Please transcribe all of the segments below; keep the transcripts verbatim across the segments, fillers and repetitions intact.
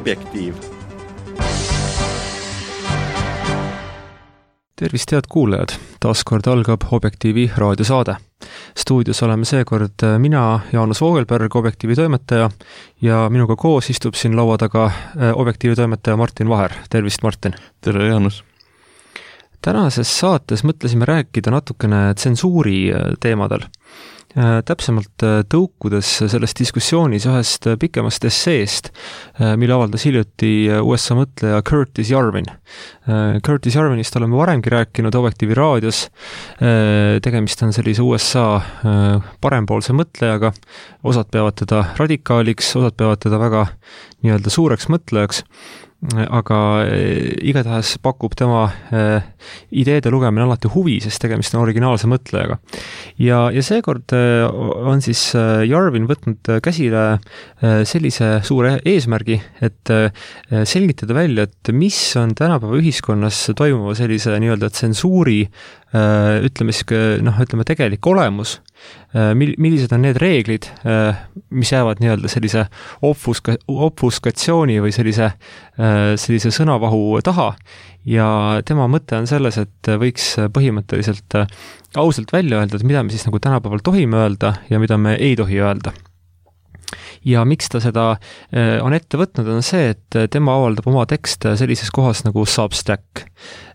Objektiiv. Tervist, head kuulajad! Taaskord algab Objektiivi raadiosaade. Stuudios oleme seekord mina, Jaanus Voogelberg, Objektiivi toimetaja, ja minuga koos istub siin laua taga Objektiivi toimetaja Martin Vaher. Tervist, Martin! Tere, Jaanus! Tänases saates mõtlesime rääkida natukene tsensuuri teemadel. Täpsemalt tõukudes selles diskussioonis ühest pikemast esseest, mille avaldas hiljuti U S A mõtleja Curtis Yarvin. Curtis Yarvinist oleme varemgi rääkinud Objektiivi raadios. Tegemist on sellise U S A parempoolse mõtlejaga. Osad peavad teda radikaaliks, osad peavad teda väga nii-öelda suureks mõtlejaks. Aga igatahes pakub tema ideede lugemine alati huvi, sest tegemist on originaalse mõtlejaga. Ja, ja seekord on siis Yarvin võtnud käsile sellise suure eesmärgi, et selgitada välja, et mis on tänapäeva ühiskonnas toimuva sellise nii-öelda tsensuuri, ütleme siis, noh, ütleme tegelik olemus, millised on need reeglid, mis jäävad nii-öelda sellise obfuska, obfuskatsiooni või sellise, sellise sõnavahu taha, ja tema mõte on selles, et võiks põhimõtteliselt ausalt välja öelda, et mida me siis nagu tänapäeval tohime öelda ja mida me ei tohi öelda. Ja miks ta seda on ette võtnud, on see, et tema avaldab oma tekste sellises kohas nagu Substack.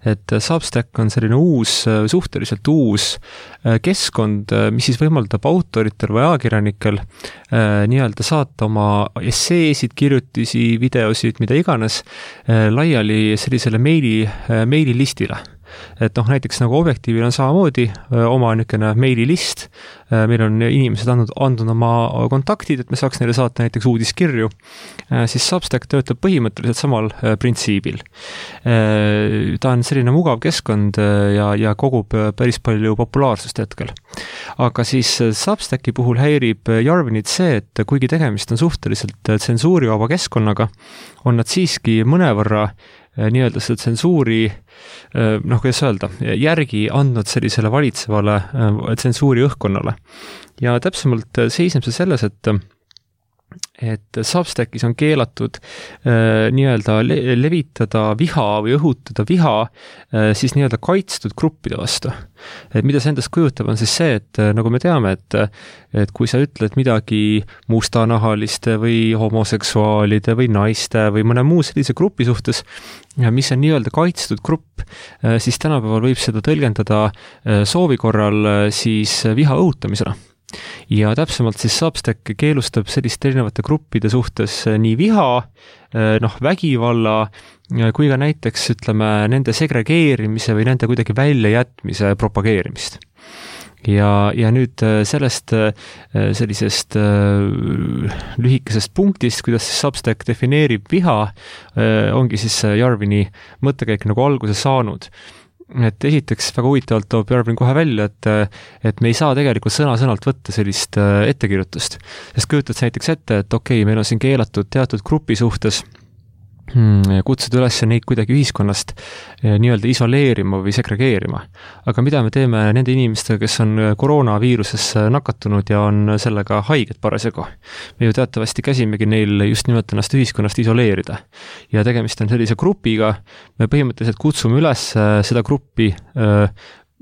Et Substack on selline uus, suhteliselt uus keskkond, mis siis võimaldab autoritel või ajakirjanikel nii-öelda saata oma esseesid, kirjutisi, videosid, mida iganes laiali sellisele meili, meililistile. Et noh, näiteks nagu Objektiivil on samamoodi oma niisugune meililist, meil on inimesed andnud, andnud oma kontaktid, et me saaks neile saata näiteks uudiskirju, siis Substack töötab põhimõtteliselt samal printsiibil. Ta on selline mugav keskkond ja, ja kogub päris palju populaarsust hetkel. Aga siis Substacki puhul häirib Yarvinit see, et kuigi tegemist on suhteliselt tsensuurivaba keskkonnaga, on nad siiski mõnevõrra nii-öelda seda tsensuuri, noh, kuidas öelda, järgi andnud sellisele valitsevale tsensuuri õhkkonnale. Ja täpsemalt seisneb see selles, et et Substackis on keelatud äh, nii-öelda le- levitada viha või õhutada viha äh, siis nii-öelda kaitstud gruppide vastu. Et mida see endast kujutab on siis see, et äh, nagu me teame, et, et kui sa ütled midagi mustanahaliste või homoseksuaalide või naiste või mõne muu sellise grupi suhtes, mis on nii-öelda kaitstud grupp, äh, siis tänapäeval võib seda tõlgendada äh, soovi korral äh, siis viha õhutamisena. Ja täpsemalt siis Substack keelustab sellist erinevate gruppide suhtes nii viha, noh, vägivalla, kui ka näiteks, ütleme, nende segregeerimise või nende kuidagi väljajätmise propageerimist. Ja, ja nüüd sellest sellisest lühikesest punktist, kuidas Substack defineerib viha, ongi siis Yarvini mõttekäik nagu alguse saanud. Et esiteks väga huvitavalt toob Yarvin kohe välja, et, et me ei saa tegelikult sõna-sõnalt võtta sellist ettekirjutust. Sest kujutad näiteks ette, et okei, meil on siin keelatud teatud grupi suhtes kutsuda üles neid kuidagi ühiskonnast nii-öelda isoleerima või segregeerima. Aga mida me teeme nende inimestega, kes on koroonaviiruses nakatunud ja on sellega haiged parasjagu? Me ju teatavasti käsimegi neil just nimelt ennast ühiskonnast isoleerida. Ja tegemist on sellise grupiga, me põhimõtteliselt kutsume üles seda gruppi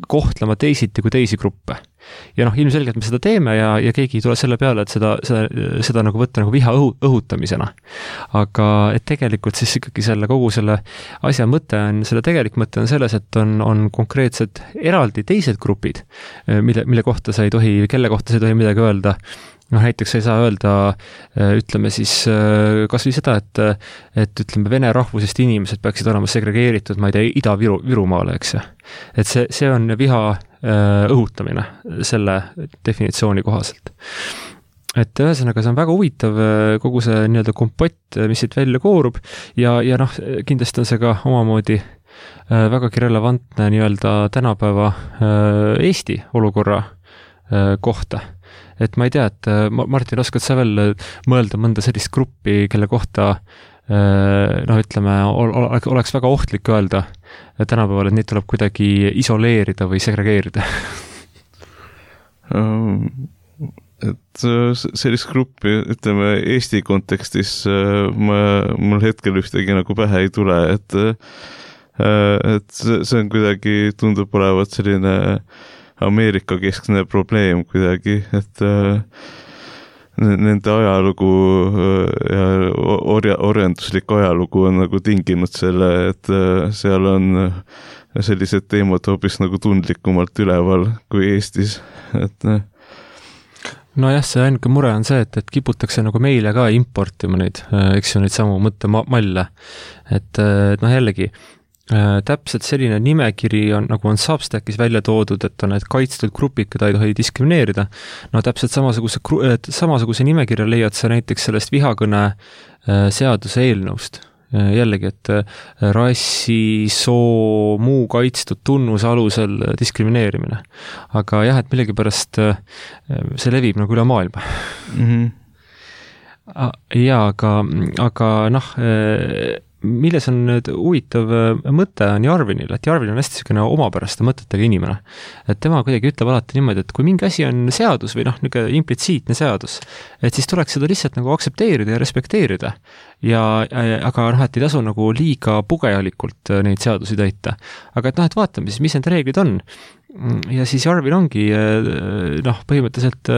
kohtlema teisiti kui teisi gruppe. Ja noh, ilmselgelt me seda teeme ja, ja keegi ei tule selle peale, et seda, seda, seda nagu võtta nagu viha õhu, õhutamisena. Aga et tegelikult siis ikkagi selle kogu selle asja mõte on, selle tegelik mõte on selles, et on, on konkreetsed eraldi teised grupid, mille, mille kohta sa ei tohi, kelle kohta sa ei tohi midagi öelda. Noh, näiteks sa ei saa öelda, ütleme siis kas või seda, et, et ütleme, vene rahvusest inimesed peaksid olema segregeeritud, ma ei tea, Ida-Virumaale, eks. Et see, see on viha õhutamine selle definitsiooni kohaselt. Et ühesõnaga, see on väga huvitav kogu see nii-öelda kompott, mis siit välja koorub ja, ja noh, kindlasti on see ka omamoodi vägagi relevantne nii-öelda tänapäeva Eesti olukorra kohta. Et ma ei tea, et Martin, oskad sa veel mõelda mõnda sellist gruppi, kelle kohta noh, ütleme, oleks väga ohtlik öelda tänapäeval, et neid tuleb kuidagi isoleerida või segregeerida? et sellist gruppi, ütleme Eesti kontekstis ma, mul hetkel ühtegi nagu pähe ei tule, et et see on kuidagi, tundub olevat selline Ameerika keskne probleem kuidagi, et nende ajalugu ja orja, orjanduslik ajalugu on nagu tinginud selle, et seal on sellised teemad hoopis nagu tundlikumalt üleval kui Eestis, et nojah, see ainuke mure on see, et, et kiputakse nagu meile ka importima neid, eks ju, neid samu mõttemalle. Et noh, jällegi, täpselt selline nimekiri on, nagu on Substackis välja toodud, et on need kaitstud grupid, keda ei tohi diskrimineerida. No täpselt samasuguse, samasuguse nimekirja leiad sa näiteks sellest vihakõne seaduse eelnõust. Jällegi, et rassi, soo, muu kaitstud tunnuse alusel diskrimineerimine. Aga jah, et millegi pärast see levib nagu üle maailma. Mm-hmm. Ja, aga, aga noh, milles on nüüd huvitav mõte on Jarvinil, et Jarvin on hästi selline omapäraste mõtetega inimene. Et tema kuidagi ütleb alati niimoodi, et kui mingi asi on seadus või noh, niisugune implitsiitne seadus, et siis tuleks seda lihtsalt nagu aksepteerida ja respekteerida. Ja, aga noh, et ei tasu nagu liiga pugejalikult neid seadusi täita. Aga et noh, et vaatame siis, mis need reeglid on. Ja siis Jarvin ongi noh, põhimõtteliselt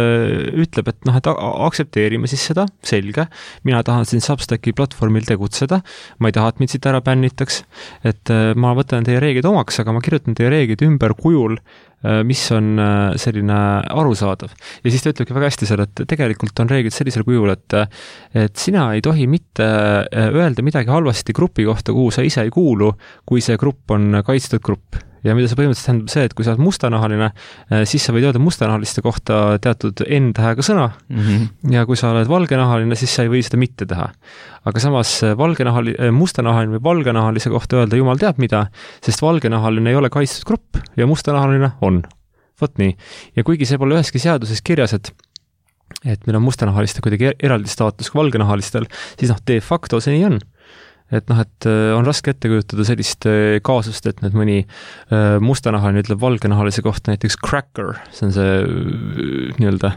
ütleb, et noh, et aksepteerime siis seda, selge, mina tahan siin Substacki platvormil tegutseda, ma ei taha, et mind siit ära bännitaks, et ma võtan teie reeglid omaks, aga ma kirjutan teie reeglid ümber kujul, mis on selline arusaadav. Ja siis ta ütlebki väga hästi seal, et tegelikult on reeglid sellisel kujul, et, et sina ei tohi mitte öelda midagi halvasti grupi kohta, kuhu sa ise ei kuulu, kui see grupp on kaitstud grupp. Ja mida see põhimõtteliselt tähendab see, et kui sa oled mustanahaline, siis sa võid öelda mustanahaliste kohta teatud N-tähega sõna mm-hmm. ja kui sa oled valgenahaline, siis sa ei või seda mitte teha. Aga samas valgenahali, mustanahaline või valgenahalise kohta öelda jumal teab mida, sest valgenahaline ei ole kaitstud grupp ja mustanahaline on. Vot nii. Ja kuigi see pole üheski seaduses kirjas, et et meil on mustanahaliste kuidagi eraldi staatus kui valgenahalistel, siis noh, de facto see nii on. Et noh, et on raske ette kujutada sellist kaasust, et nüüd mõni mustanahaline ütleb valgenahalise kohta näiteks cracker, see on see nii-öelda,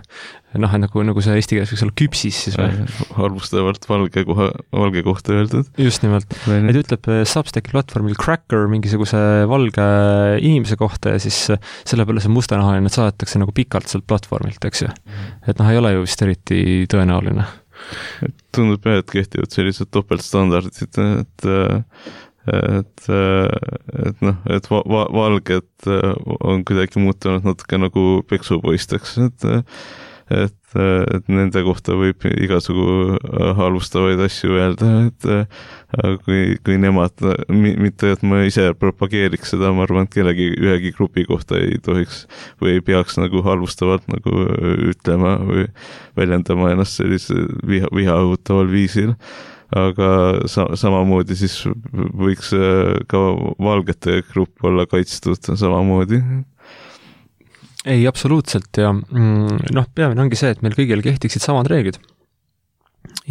noh, nagu, nagu see eesti keeles võiks olla küpsis siis või? Arvustavalt valge, koha, valge kohta öeldud. Just nimelt. Et ütleb Substacki platvormil cracker mingisuguse valge inimese kohta ja siis selle peale see mustanahaline saadetakse nagu pikalt sealt platvormilt, eks ju. Et noh, ei ole ju vist eriti tõenäoline. Et tundub jah, et kehtivad sellised topeltstandardid, et, et, et noh, et va, va, valged on kuidagi muutunud natuke nagu peksupoisteks, et, et, et nende kohta võib igasugu halvustavaid asju öelda, et kui, kui nemad, mitte et ma ise propageeriks seda, ma arvan, et kellegi ühegi grupi kohta ei tohiks või ei peaks nagu halvustavalt nagu ütlema või väljendama ennast sellise viha, viha õhutaval viisil. Aga sa, samamoodi siis võiks ka valgete grupp olla kaitstud samamoodi. Ei, absoluutselt ja noh, peamine ongi see, et meil kõigil kehtiksid samad reeglid.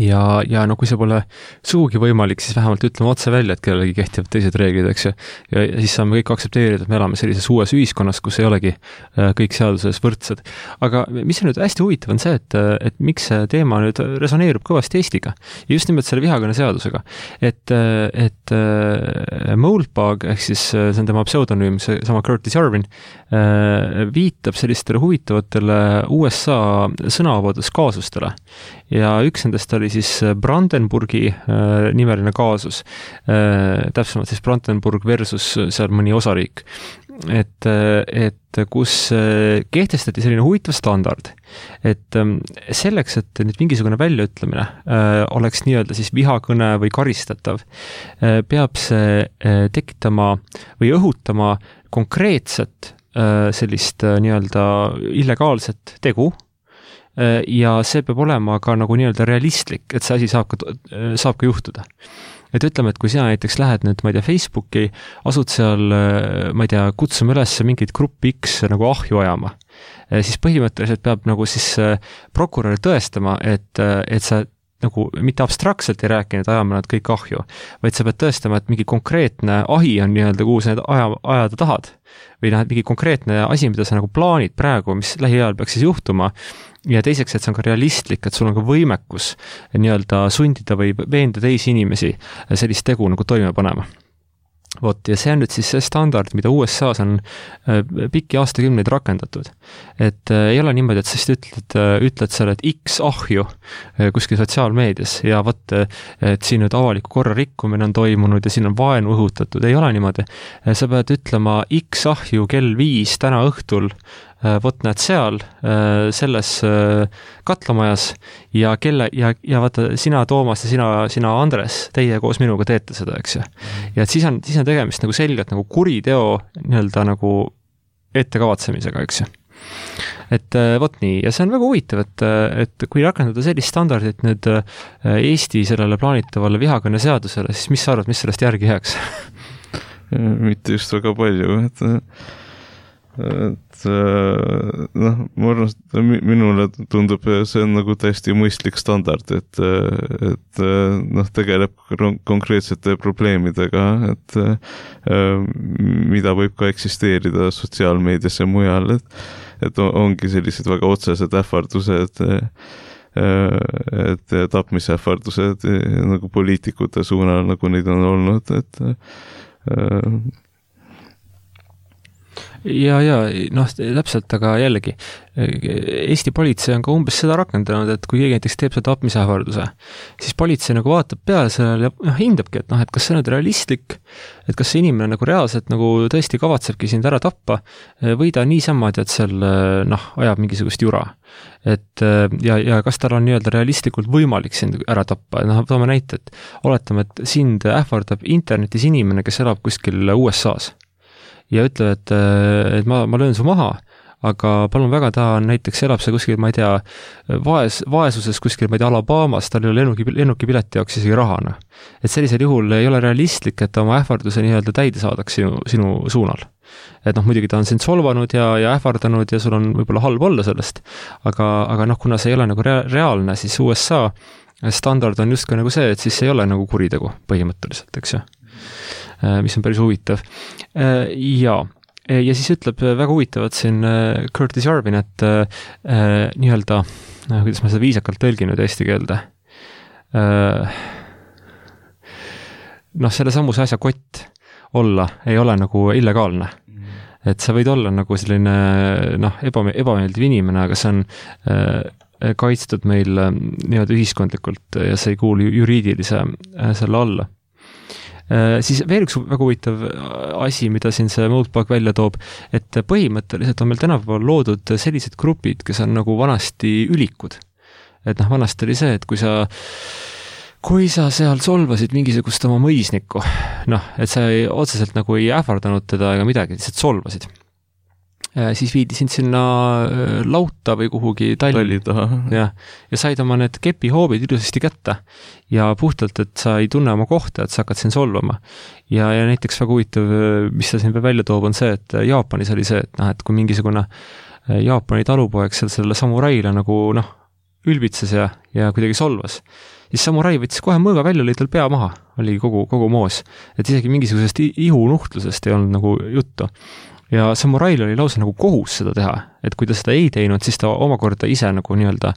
Ja, ja no kui see pole suugi võimalik, siis vähemalt ütleme otse välja, et kellelegi kehtivad teised reeglid, eks ju. Ja, ja siis saame kõik aksepteerida, et me elame sellises uues ühiskonnas, kus ei olegi kõik seaduses võrdsed. Aga mis on nüüd hästi huvitav on see, et, et miks see teema nüüd resoneerub kõvasti Eestiga. Ja just nimelt selle vihakõne seadusega. Et, et Moldbug, ehk siis see on tema pseudonüüm, see sama Curtis Jarvin, viitab sellistele huvitavatele U S A sõnavabaduskaasustele. Ja üks nendest oli siis Brandenburgi äh, nimeline kaasus, äh, täpsemalt siis Brandenburg versus seal mõni osariik, et, et kus kehtestati selline huvitav standard, et selleks, et nüüd mingisugune väljaütlemine äh, oleks nii-öelda siis vihakõne või karistatav, äh, peab see äh, tekitama või õhutama konkreetset äh, sellist äh, nii-öelda illegaalset tegu, ja see peab olema ka nagu nii-öelda realistlik, et see asi saab ka, saab ka juhtuda. Et ütleme, et kui sina näiteks lähed nüüd, ma ei tea, Facebooki, asud seal, ma ei tea, kutsume üles mingit gruppi X nagu ahju ajama, siis põhimõtteliselt peab nagu siis prokurör tõestama, et, et sa nagu mitte abstraktselt ei rääkinud, ajame nad kõik ahju, vaid sa pead tõestama, et mingi konkreetne ahi on nii-öelda, kuhu sa need aja, ajada tahad. Või noh, mingi konkreetne asi, mida sa nagu plaanid praegu, mis lähiajal peaks siis juhtuma, ja teiseks, et see on ka realistlik, et sul on ka võimekus nii-öelda sundida või veenda teisi inimesi sellist tegu nagu toime panema. Vot, ja see on nüüd siis see standard, mida U S A-s on pikki aastakümneid rakendatud. Et ei ole niimoodi, et sa siis ütled, ütled seal, et X ahju kuskil sotsiaalmeedias ja vot, et siin nüüd avaliku korra rikkumine on toimunud ja siin on vaenu õhutatud. Ei ole niimoodi. Sa pead ütlema X ahju kell viis täna õhtul, vot näed seal, selles katlamajas ja kelle, ja, ja vaata, sina Toomas ja sina, sina Andres, teie koos minuga teete seda, eks ju. Ja et siis on, siis on tegemist nagu selgelt nagu kuriteo nii-öelda nagu ettekavatsemisega, eks ju. Et vot nii, ja see on väga huvitav, et, et kui rakendada sellist standardit nüüd Eesti sellele plaanitavale vihakõne seadusele, siis mis sa arvad, mis sellest järgi jääks? Mitte just väga palju, et et noh, ma arvan, et minule tundub, see on nagu täiesti mõistlik standard, et, et noh, tegeleb konkreetsete probleemidega, et mida võib ka eksisteerida sotsiaalmeedias ja mujal, et, et ongi sellised väga otsesed ähvardused, et tapmisähvardused nagu poliitikute suunal, nagu neid on olnud, et ja, ja noh, täpselt, aga jällegi Eesti politsei on ka umbes seda rakendanud, et kui keegi näiteks teeb seda tapmisähvarduse, siis politsei nagu vaatab peale sellele ja noh, hindabki, et noh, et kas see on realistlik, et kas see inimene nagu reaalselt nagu tõesti kavatsebki sind ära tappa või ta niisama, et seal noh, ajab mingisugust jura. Et ja, ja kas tal on nii-öelda realistlikult võimalik sind ära tappa, noh, toome näite, et oletame, et sind ähvardab internetis inimene, kes elab kuskil U S A-s ja ütleb, et, et ma, ma löön su maha, aga palun väga, ta on näiteks, elab see kuskil, ma ei tea, vaes, vaesuses kuskil, ma ei tea, Alabamas, tal ei ole lennuki, lennuki pileti jaoks isegi rahana. Et sellisel juhul ei ole realistlik, et oma ähvarduse nii-öelda täide saadaks sinu, sinu suunal. Et noh, muidugi ta on sind solvanud ja, ja ähvardanud ja sul on võib-olla halb olla sellest, aga, aga noh, kuna see ei ole nagu rea- reaalne, siis U S A standard on just ka nagu see, et siis ei ole nagu kuritegu põhimõtteliselt, eks ju. Mis on päris huvitav. Ja, ja siis ütleb väga huvitavat siin Curtis Yarvin, et äh, nii-öelda, kuidas ma seda viisakalt tõlginud eesti keelde, äh, noh, selle samuse asja kott olla ei ole nagu illegaalne. Et sa võid olla nagu selline noh, eba, ebameeldiv inimene, aga see on äh, kaitstud meil nii-öelda ühiskondlikult ja see ei kuulu juriidilise äh, selle alla. Siis veel üks väga huvitav asi, mida siin see Moldbug välja toob, et põhimõtteliselt on meil tänapäeval loodud sellised grupid, kes on nagu vanasti ülikud. Et noh, vanasti oli see, et kui sa, kui sa seal solvasid mingisugust oma mõisnikku, noh, et sa ei, otseselt nagu ei ähvardanud teda ega midagi, lihtsalt solvasid. Siis viidi sind sinna lauta või kuhugi talli taha ja, ja said oma need kepihoobid ilusasti kätte ja puhtalt, et sa ei tunne oma kohta, et sa hakkad siin solvama. Ja, ja näiteks väga huvitav, mis ta siin välja toob, on see, et Jaapanis oli see, et noh, et kui mingisugune Jaapani talupoeg seal selle samuraile nagu noh, ülbitses ja, ja kuidagi solvas, siis samurai võttis kohe mõõga välja, lõi tal pea maha, oli kogu, kogu moos. Et isegi mingisugusest ihunuhtlusest ei olnud nagu juttu. Ja samurail oli lausa nagu kohus seda teha, et kui ta seda ei teinud, siis ta omakorda ise nagu nii-öelda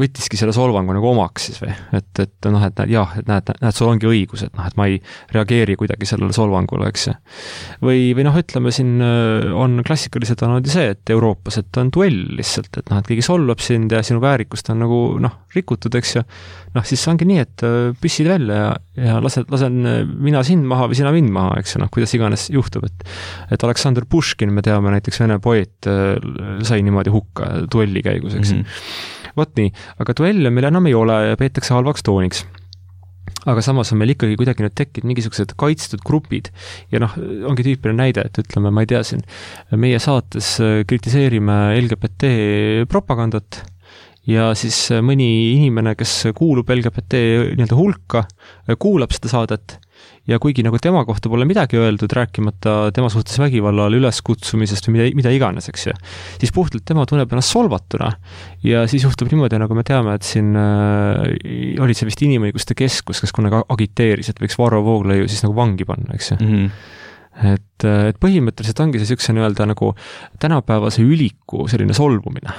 võttiski selle solvangu nagu omaks siis või, et, et noh, et jah, et näed, näed, sul ongi õigus, et noh, et ma ei reageeri kuidagi sellele solvangule, eks see. Või, või noh, ütleme siin on klassikaliselt on see, et Euroopas, et on duell lihtsalt, et noh, et keegi solvab sind ja sinu väärikust on nagu noh, rikutud, eks ju, noh, siis ongi nii, et püssid välja ja, ja lasen, lasen mina sind maha või sina mind maha, eks ju, noh, kuidas iganes juhtub, et, et Aleksandr Puškin, me teame näiteks Vene poeet, sai niimoodi hukka duelli käigus, eks. Mm-hmm. Vot nii, aga duelle meil enam ei ole ja peetakse halvaks tooniks. Aga samas on meil ikkagi kuidagi nüüd tekkinud mingisugused kaitstud grupid ja noh, ongi tüüpiline näide, et ütleme, ma ei tea siin, meie saates kritiseerime L G B T propagandat ja siis mõni inimene, kes kuulub L G B T nii-öelda hulka, kuulab seda saadet ja kuigi nagu tema kohta pole midagi öeldud, rääkimata tema suhtes vägivallale üleskutsumisest või mida, mida iganes, eks ju, siis puhtalt tema tunneb ennast solvatuna ja siis juhtub niimoodi, nagu me teame, et siin äh, oli see vist Inimõiguste Keskus, kes kunagi agiteeris, et võiks Varro Vooglaiu siis nagu vangi panna, eks ju. Mm-hmm. Et, et põhimõtteliselt ongi see niisuguse nii-öelda nagu tänapäevase üliku selline solvumine.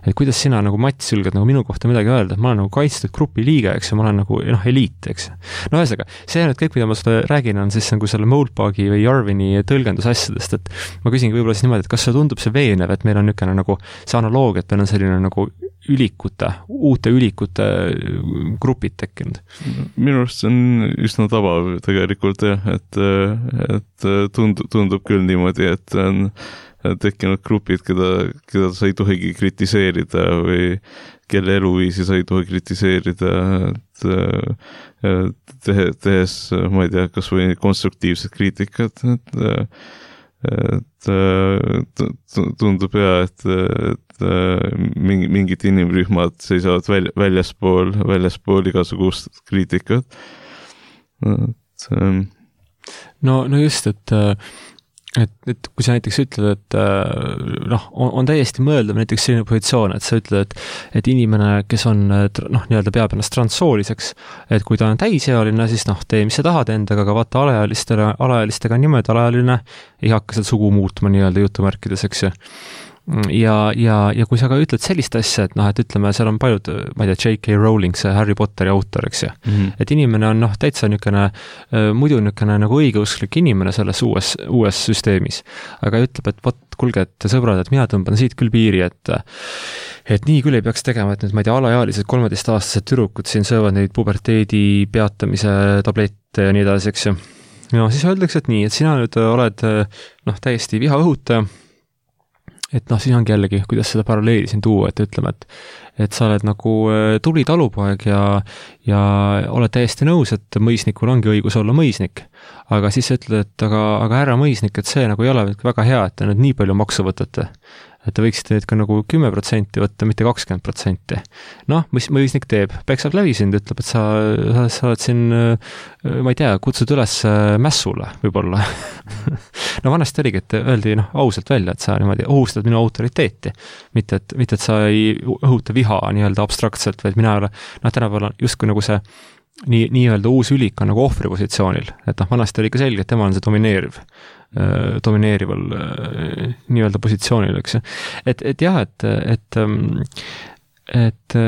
Et kuidas sina nagu Mats julged nagu minu kohta midagi öelda, et ma olen nagu kaitstud grupi liige, eks ja ma olen nagu noh, eliit, eks. No ühesõnaga, see on, et kõik, mida ma seda räägin, on siis nagu selle Moldbagi või Jarvini tõlgendus asjadest, et ma küsingi võib-olla siis niimoodi, et kas see tundub see veenev, et meil on niisugune nagu see analoogia, et meil on selline nagu ülikute, uute ülikute grupid tekkinud. Minu arust see on üsna tabav tegelikult jah, et, et tundub, tundub küll niimoodi, et on tekkinud grupid, keda, keda sa ei tohigi kritiseerida või kelle eluviisi sa ei tohi kritiseerida, et tehe, tehes, ma ei tea, kas või konstruktiivset kriitikat, et et tundub ja, et, et mingi, mingid inimrühmad seisavad väl, väljaspool, väljaspool igasugust kriitikat. Et, no, no just, et et, et kui sa näiteks ütled, et noh, on, on täiesti mõeldav näiteks selline positsioon, et sa ütled, et, et inimene, kes on noh, nii-öelda peab ennast transsooliseks, et kui ta on täisealine, siis noh, tee, mis sa tahad endaga, aga vaata alaealistele, alaealistega on niimoodi, alaealine ei hakka seal sugu muutma nii-öelda jutumärkides, eks ju. Ja, ja, ja kui sa ka ütled sellist asja, et noh, et ütleme, seal on paljud, ma ei tea, J K Rowling, see Harry Potteri autor, eks ju, mm-hmm. et inimene on noh, täitsa niisugune, muidu niisugune nagu õigeusklik inimene selles uues, uues süsteemis, aga ütleb, et vot, kuulge, et sõbrad, et mina tõmban siit küll piiri, et et nii küll ei peaks tegema, et nüüd, ma ei tea, alaealised kolmeteistaastased tüdrukud siin söövad neid puberteedi peatamise tablette ja nii edasi, eks ju. No siis öeldakse, et nii, et sina nüüd oled noh, täiesti viha õhutaja, et noh, siis ongi jällegi, kuidas seda paralleeli siin tuua, et ütleme, et, et sa oled nagu tubli talupoeg ja, ja oled täiesti nõus, et mõisnikul ongi õigus olla mõisnik. Aga siis ütled, et aga, aga härra mõisnik, et see nagu ei ole väga hea, et te nüüd nii palju maksu võtate. Et te võiksite nüüd ka nagu kümme protsenti võtta, mitte kakskümmend protsenti. Noh, mis mõisnik teeb? Peksab läbi sind, ütleb, et sa, sa, sa oled siin, ma ei tea, kutsud üles mässule võib-olla. No vanasti oligi, et öeldi noh, ausalt välja, et sa niimoodi ohustad minu autoriteeti. Mitte, et, mitte, et sa ei õhuta viha nii-öelda abstraktselt, vaid mina ei ole, noh, tänapäeval on justkui nagu see nii, nii-öelda uus ülik on nagu ohvri positsioonil. Et noh, vanasti oli ka selge, et tema on see domineeriv. domineerival nii-öelda positsioonil, eks. Et, et jah, et, et, et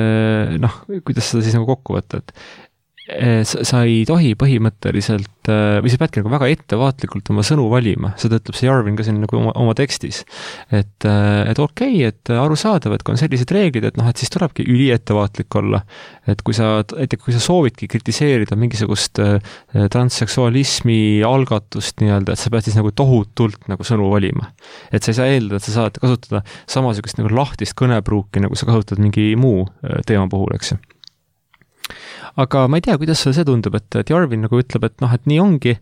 noh, kuidas seda siis nagu kokku võtta, et sa, sa ei tohi põhimõtteliselt, või sa peadki nagu väga ettevaatlikult oma sõnu valima, seda ütleb see Jarvin ka siin nagu oma, oma tekstis, et, et okei, okay, et arusaadav, et kui on sellised reeglid, et noh, et siis tulebki üli ettevaatlik olla, et kui sa, et kui sa soovidki kritiseerida mingisugust transseksualismi algatust nii-öelda, et sa pead siis nagu tohutult nagu sõnu valima. Et sa ei saa eeldada, et sa saad kasutada samasugust nagu lahtist kõnepruuki, nagu sa kasutad mingi muu teema puhul, eks. Aga ma ei tea, kuidas see tundub, et, et Jarvin nagu ütleb, et noh, et nii ongi,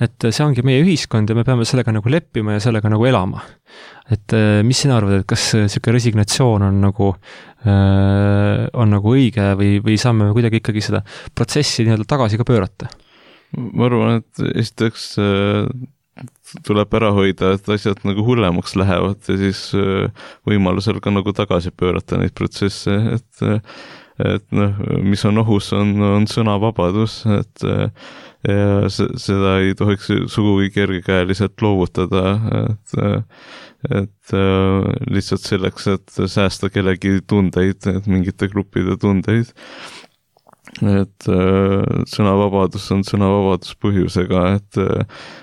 et see ongi meie ühiskond ja me peame sellega nagu leppima ja sellega nagu elama. Et mis sina arvad, et kas selline resignatsioon on nagu, on nagu õige või, või saame kuidagi ikkagi seda protsessi nii-öelda tagasi ka pöörata? Ma arvan, et esiteks tuleb ära hoida, et asjad nagu hullemaks lähevad ja siis võimalusel ka nagu tagasi pöörata neid protsesse, et et noh, mis on ohus, on, on sõnavabadus, et ja seda ei tohiks sugugi kergekäeliselt loovutada, et, et lihtsalt selleks, et säästa kellegi tundeid, et mingite gruppide tundeid. Et sõnavabadus on sõnavabadus põhjusega, et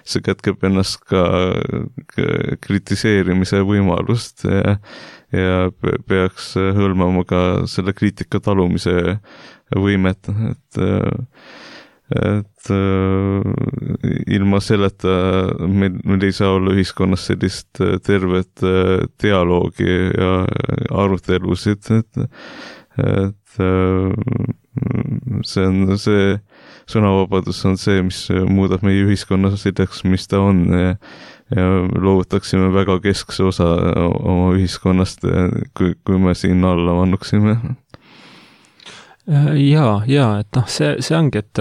see kätkeb ennast ka kritiseerimise võimalust ja ja peaks hõlmama ka selle kriitika talumise võimet, et, et ilma selleta meil, meil ei saa olla ühiskonnas sellist tervet dialoogi ja arutelusid, et, et see on see, sõnavabadus on see, mis muudab meie ühiskonna selleks, mis ta on ja ja loovutaksime väga keskse osa oma ühiskonnast, kui, kui me siin alla vannuksime. Jaa, jaa, et noh, see, see ongi, et,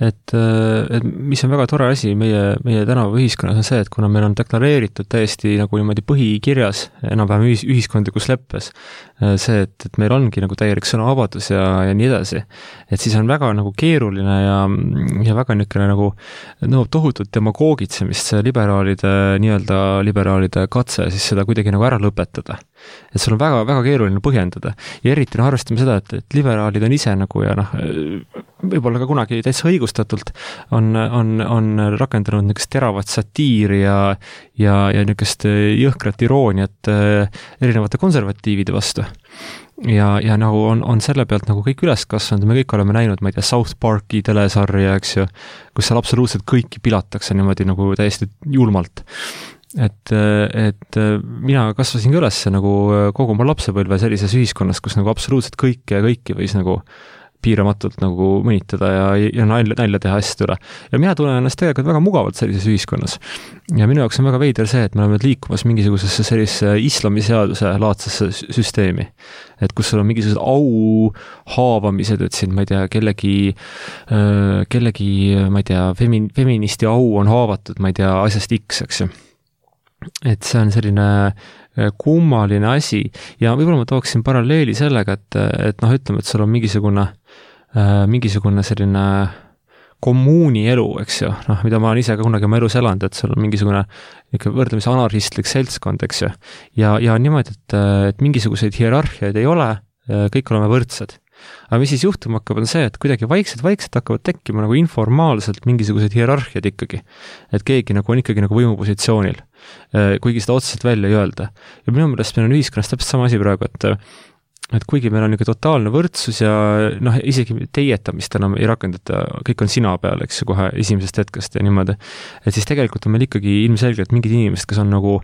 et, et mis on väga tore asi meie, meie tänava ühiskonnas on see, et kuna meil on deklareeritud täiesti nagu niimoodi põhikirjas, enam-vähem ühis, ühiskondlikus leppes, see, et, et meil ongi nagu täielik sõnavabadus ja, ja nii edasi, et siis on väga nagu keeruline ja, ja väga niisugune nagu nõuab tohutut demagoogitsemist see liberaalide, nii-öelda liberaalide katse siis seda kuidagi nagu ära lõpetada. Et sul on väga, väga keeruline põhjendada ja eriti noh, arvestame seda, et, et liberaalid on ise nagu ja noh, võib-olla ka kunagi täitsa õigustatult on, on, on rakendanud niisugust teravat satiiri ja, ja, ja niisugust jõhkrat irooniat erinevate konservatiivide vastu. Ja, ja nagu on, on selle pealt nagu kõik üles kasvanud, me kõik oleme näinud, ma ei tea, South Parki telesarja, eks ju, kus seal absoluutselt kõiki pilatakse niimoodi nagu täiesti julmalt. Et, et mina kasvasin ka üles nagu kogu oma lapsepõlve sellises ühiskonnas, kus nagu absoluutselt kõike ja kõiki võis nagu piiramatult nagu mõnitada ja, ja nalja, nalja teha asjade üle. Ja mina tunnen ennast tegelikult väga mugavalt sellises ühiskonnas. Ja minu jaoks on väga veider see, et me oleme liikumas mingisugusesse sellise islamiseaduse laadsesse süsteemi. Et kus sul on mingisugused au haavamised, et siin, ma ei tea, kellegi, kellegi, ma ei tea, femin, feministi au on haavatud, ma ei tea, asjast X, eks ju. Et see on selline kummaline asi ja võib-olla ma tooksin paralleeli sellega, et, et noh, ütleme, et sul on mingisugune, mingisugune selline kommuuni elu, eks ju, noh, mida ma olen ise ka kunagi oma elus elanud, et sul on mingisugune võrdlemisi anarhistlik seltskond, eks ju, ja, ja niimoodi, et, et mingisuguseid hierarhiaid ei ole, kõik oleme võrdsed. Aga mis siis juhtuma hakkab, on see, et kuidagi vaikselt-vaikselt hakkavad tekkima nagu informaalselt mingisugused hierarhiad ikkagi. Et keegi nagu on ikkagi nagu võimupositsioonil, kuigi seda otseselt välja ei öelda. Ja minu meelest meil on ühiskonnas täpselt sama asi praegu, et, et kuigi meil on niisugune totaalne võrdsus ja noh, isegi teietamist enam ei rakendata, kõik on sina peal, eks ju, kohe esimesest hetkest ja niimoodi, et siis tegelikult on meil ikkagi ilmselgelt mingid inimesed, kes on nagu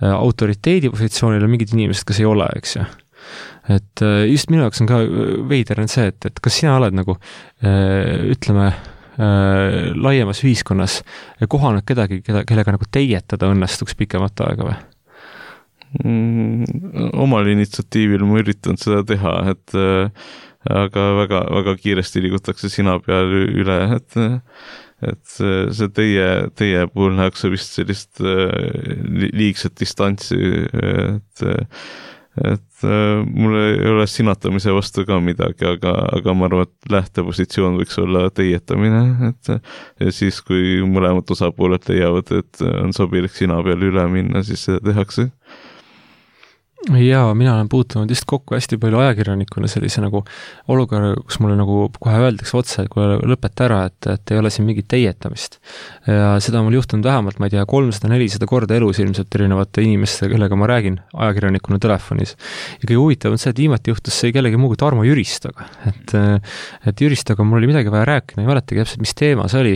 autoriteedi positsioonil ja mingid inimesed, kes ei ole, eks ju. Et just minu jaoks on ka veider on see, et, et kas sina oled nagu ütleme laiemas ühiskonnas kohanud kedagi, keda, kellega nagu teietada õnnestuks pikemat aega või? Mm, omal initsiatiivil ma üritan seda teha, et aga väga, väga kiiresti liigutakse sina peal üle, et et see teie, teie puhul nähakse vist sellist liigset distantsi, et et äh, mul ei ole sinatamise vastu ka midagi, aga, aga ma arvan, et lähtepositsioon võiks olla teietamine, et ja siis, kui mõlemad osapooled leiavad, et on sobilik sina peal üle minna, siis seda tehakse. Jaa, mina olen puutunud just kokku hästi palju ajakirjanikuna sellise nagu olukorra, kus mulle nagu kohe öeldakse otse, et kui lõpeta ära, et, et ei ole siin mingit teietamist. Ja seda on mul juhtunud vähemalt, ma ei tea, kolmsada nelisada korda elus ilmselt erinevate inimeste, kellega ma räägin ajakirjanikuna telefonis. Ja kõige huvitav on see, et viimati juhtus see kellegi muu kui Tarmo Jüristoga. Et, et Jüristoga mul oli midagi vaja rääkida, ei mäletagi täpselt, mis teema see oli.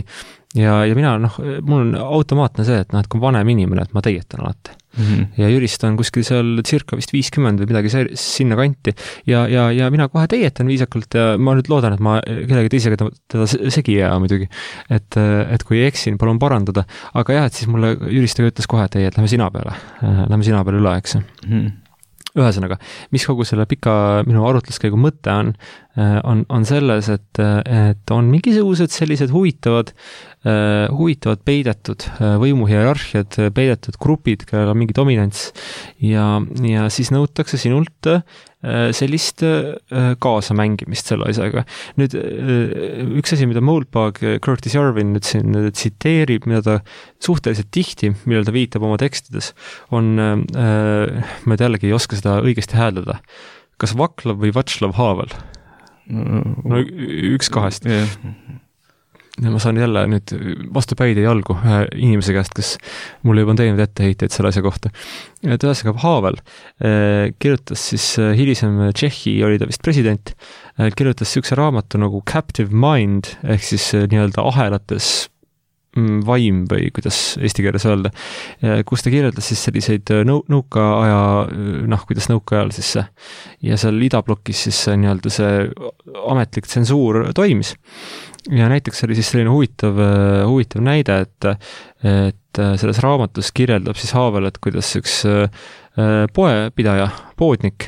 Ja, ja mina, noh, mul on automaatne see, et noh, et kui vanem inimene, et ma teietan alati. Mm-hmm. Ja Jürist on kuskil seal circa vist viiskümmend või midagi see, sinna kanti ja, ja, ja mina kohe teietan viisakult ja ma nüüd loodan, et ma kellegi teisega teda segi jää muidugi, et, et kui eksin, palun parandada, aga jah, et siis mulle Jüristega ütles kohe, et ei, et lähme sina peale, lähme sina peale üle, eks mm-hmm. Ühesõnaga, mis kogu selle pika minu arutluskäigu mõte on, on, on selles, et, et on mingisugused sellised huvitavad, huvitavad peidetud võimuhierarhiad, peidetud grupid, kellel on mingi dominants ja, ja siis nõutakse sinult sellist kaasamängimist selle asjaga. Nüüd üks asi, mida Moldbug Curtis Yarvin nüüd siin tsiteerib, mida ta suhteliselt tihti, millel ta viitab oma tekstides, on, ma jällegi ei oska seda õigesti hääldada, kas Vaclav või Václav Havel? No üks kahest. Yeah. Ja ma saan jälle nüüd vastu päid ja jalgu ühe inimese käest, kes mulle juba on teinud etteheiteid selle asja kohta. Et ühesõnaga Havel eh, kirjutas siis eh, hilisem Tšehhi, oli ta vist president, eh, kirjutas sükse raamatu nagu Captive Mind, ehk siis eh, nii-öelda ahelates mm, vaim või kuidas eesti keeles öelda, eh, kus ta kirjeldas siis selliseid nõu, nõukaaja, noh, kuidas nõukaajal siis see, ja seal idablokis siis see, nii-öelda see ametlik tsensuur toimis. Ja näiteks oli siis selline huvitav, huvitav näide, et, et selles raamatus kirjeldab siis Havel, et kuidas üks poepidaja, poodnik,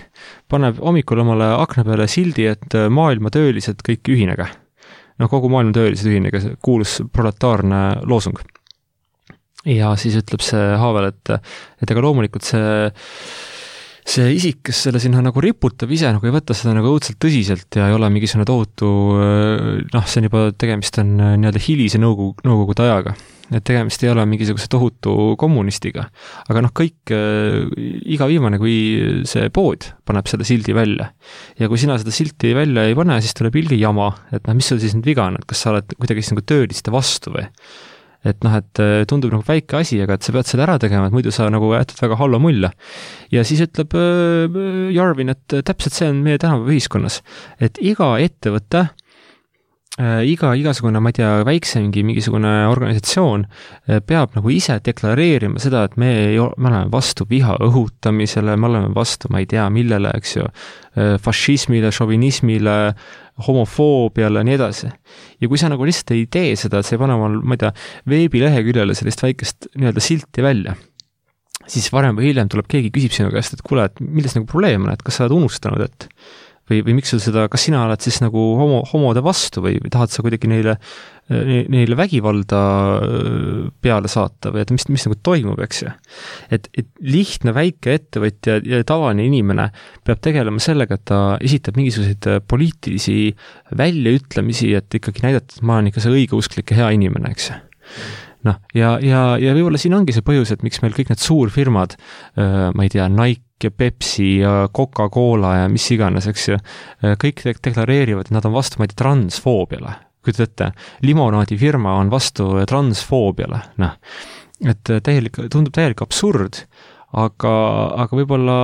paneb hommikul omale akna peale sildi, et maailma töölised kõik ühinege. No kogu maailma töölised ühinege, kuulus proletaarne loosung. Ja siis ütleb see Havel, et, et ega loomulikult see see isik, kes selle sinna nagu riputab ise, nagu ei võtta seda nagu õudselt tõsiselt ja ei ole mingisugune tohutu, noh, see on juba tegemist on nii-öelda hilise nõukogu, nõukogude ajaga. Et tegemist ei ole mingisuguse tohutu kommunistiga. Aga noh, kõik, iga viimane, kui see pood paneb selle sildi välja. Ja kui sina seda silti välja ei pane, siis tuleb ilge jama, et noh, mis sul siis nüüd viga on, et kas sa oled kuidagi nagu tööliste vastu või? Et noh, et tundub nagu väike asi, aga et sa pead selle ära tegema, et muidu sa nagu jätad väga halva mulje. Ja siis ütleb Jarvin, et täpselt see on meie tänapäeva ühiskonnas, et iga ettevõte, iga, igasugune, ma ei tea, väiksemgi mingisugune organisatsioon peab nagu ise deklareerima seda, et me, ei, me oleme vastu viha õhutamisele, me oleme vastu, ma ei tea, millele, eks ju, fašismile, šovinismile, homofoobiale ja nii edasi. Ja kui sa nagu lihtsalt ei tee seda, et sa ei pane omal, ma ei tea, veebileheküljele sellist väikest nii-öelda silti välja, siis varem või hiljem tuleb keegi küsib sinu käest, et kuule, et milles nagu probleem on, et kas sa oled unustanud, et või, või miks sul seda, kas sina oled siis nagu homo, homode vastu või, või tahad sa kuidagi neile, neile vägivalda peale saata või et mis, mis nagu toimub, eks ju. Et, et lihtne väike ettevõtja ja tavaline inimene peab tegelema sellega, et ta esitab mingisuguseid poliitilisi väljaütlemisi, et ikkagi näidata, et ma olen ikka see õigeusklik ja hea inimene, eks ju. Noh, ja, ja, ja võib-olla siin ongi see põhjus, et miks meil kõik need suurfirmad, ma ei tea, Nike ja Pepsi ja Coca-Cola ja mis iganes, eks ju, kõik deklareerivad, et nad on vastu, ma ei tea, transfoobiale. Kui te ette, limonaadifirma on vastu transfoobiale, noh, et täielik, tundub täielik absurd, aga, aga võib-olla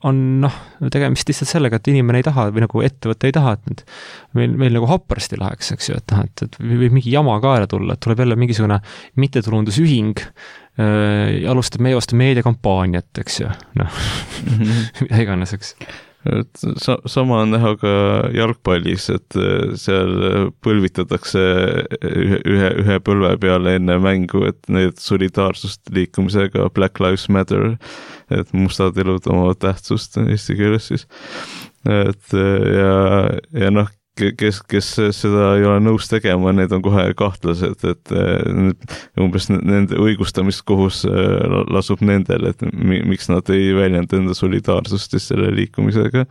on, noh, tegemist lihtsalt sellega, et inimene ei taha või nagu ettevõte ei taha, et meil, meil nagu happarasti läheks, eks ju, et, et, et võib mingi jama kaela tulla, et tuleb jälle mingisugune mittetulundusühing, äh, alustab meie vastu meediakampaaniat, eks ju, noh, mida iganes, eks. Et sa, sama on näha ka jalgpallis, et seal põlvitatakse ühe, ühe, ühe põlve peale enne mängu, et need solidaarsust liikumisega Black Lives Matter, et mustad elud oma tähtsust eesti keeles siis. Et ja, ja noh, kes, kes seda ei ole nõus tegema, need on kohe kahtlased, et umbes nende õigustamiskohus lasub nendel, et miks nad ei väljenda enda solidaarsust selle liikumisega.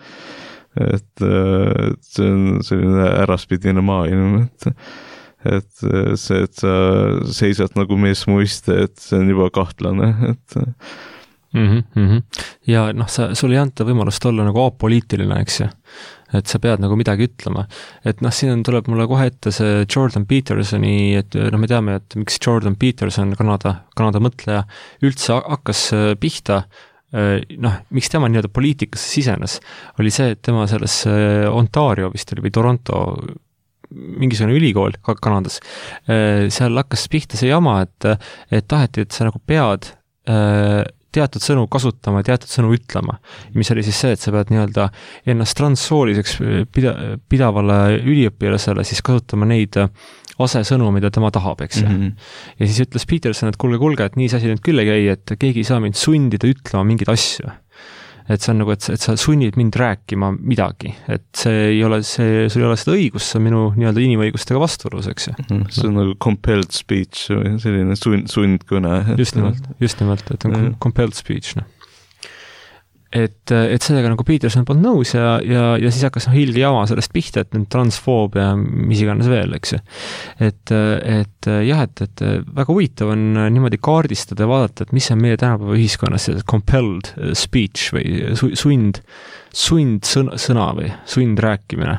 Et see on selline äraspidine maailm, et et see, et sa seisad nagu mees muiste, et see on juba kahtlane, et Mm-hmm, mm-hmm. Ja noh, sa, sul ei anta võimalust olla nagu apoliitiline, eks ju, et sa pead nagu midagi ütlema, et noh, siin tuleb mulle kohe ette see Jordan Petersoni, et noh, me teame, et miks Jordan Peterson, Kanada, Kanada mõtleja, üldse hakkas pihta, noh, miks tema nii-öelda poliitikasse sisenes, oli see, et tema selles Ontario vist oli või Toronto mingisugune ülikool Kanadas, seal hakkas pihta see jama, et, et taheti, et sa nagu pead teatud sõnu kasutama, teatud sõnu ütlema, mis oli siis see, et sa pead nii-öelda ennast transsooliseks pida, pidavale üliõpilasele siis kasutama neid asesõnu, mida tema tahab, eks mm-hmm. Ja siis ütles Peterson, et kulge, kulge, et nii see asi nüüd küll ei käi, et keegi ei saa mind sundida ütlema mingeid asju. Et see on nagu, et, et sa sunnid mind rääkima midagi, et see ei ole, see, sul ei ole seda õigust, see on minu nii-öelda inimõigustega vastuolus, eks ju. See on nagu compelled speech või selline sund, sundkõne. Just nimelt, just nimelt, et on mm. compelled speech, noh. Et, et sellega nagu Peterson polnud nõus ja, ja, ja siis hakkas noh hilge jama sellest pihta, et transfoob ja mis iganes veel, eks ju. Et, et jah, et, et väga huvitav on niimoodi kaardistada ja vaadata, et mis on meie tänapäeva ühiskonnas compelled speech või sund, sund sõna, sõna või sund rääkimine.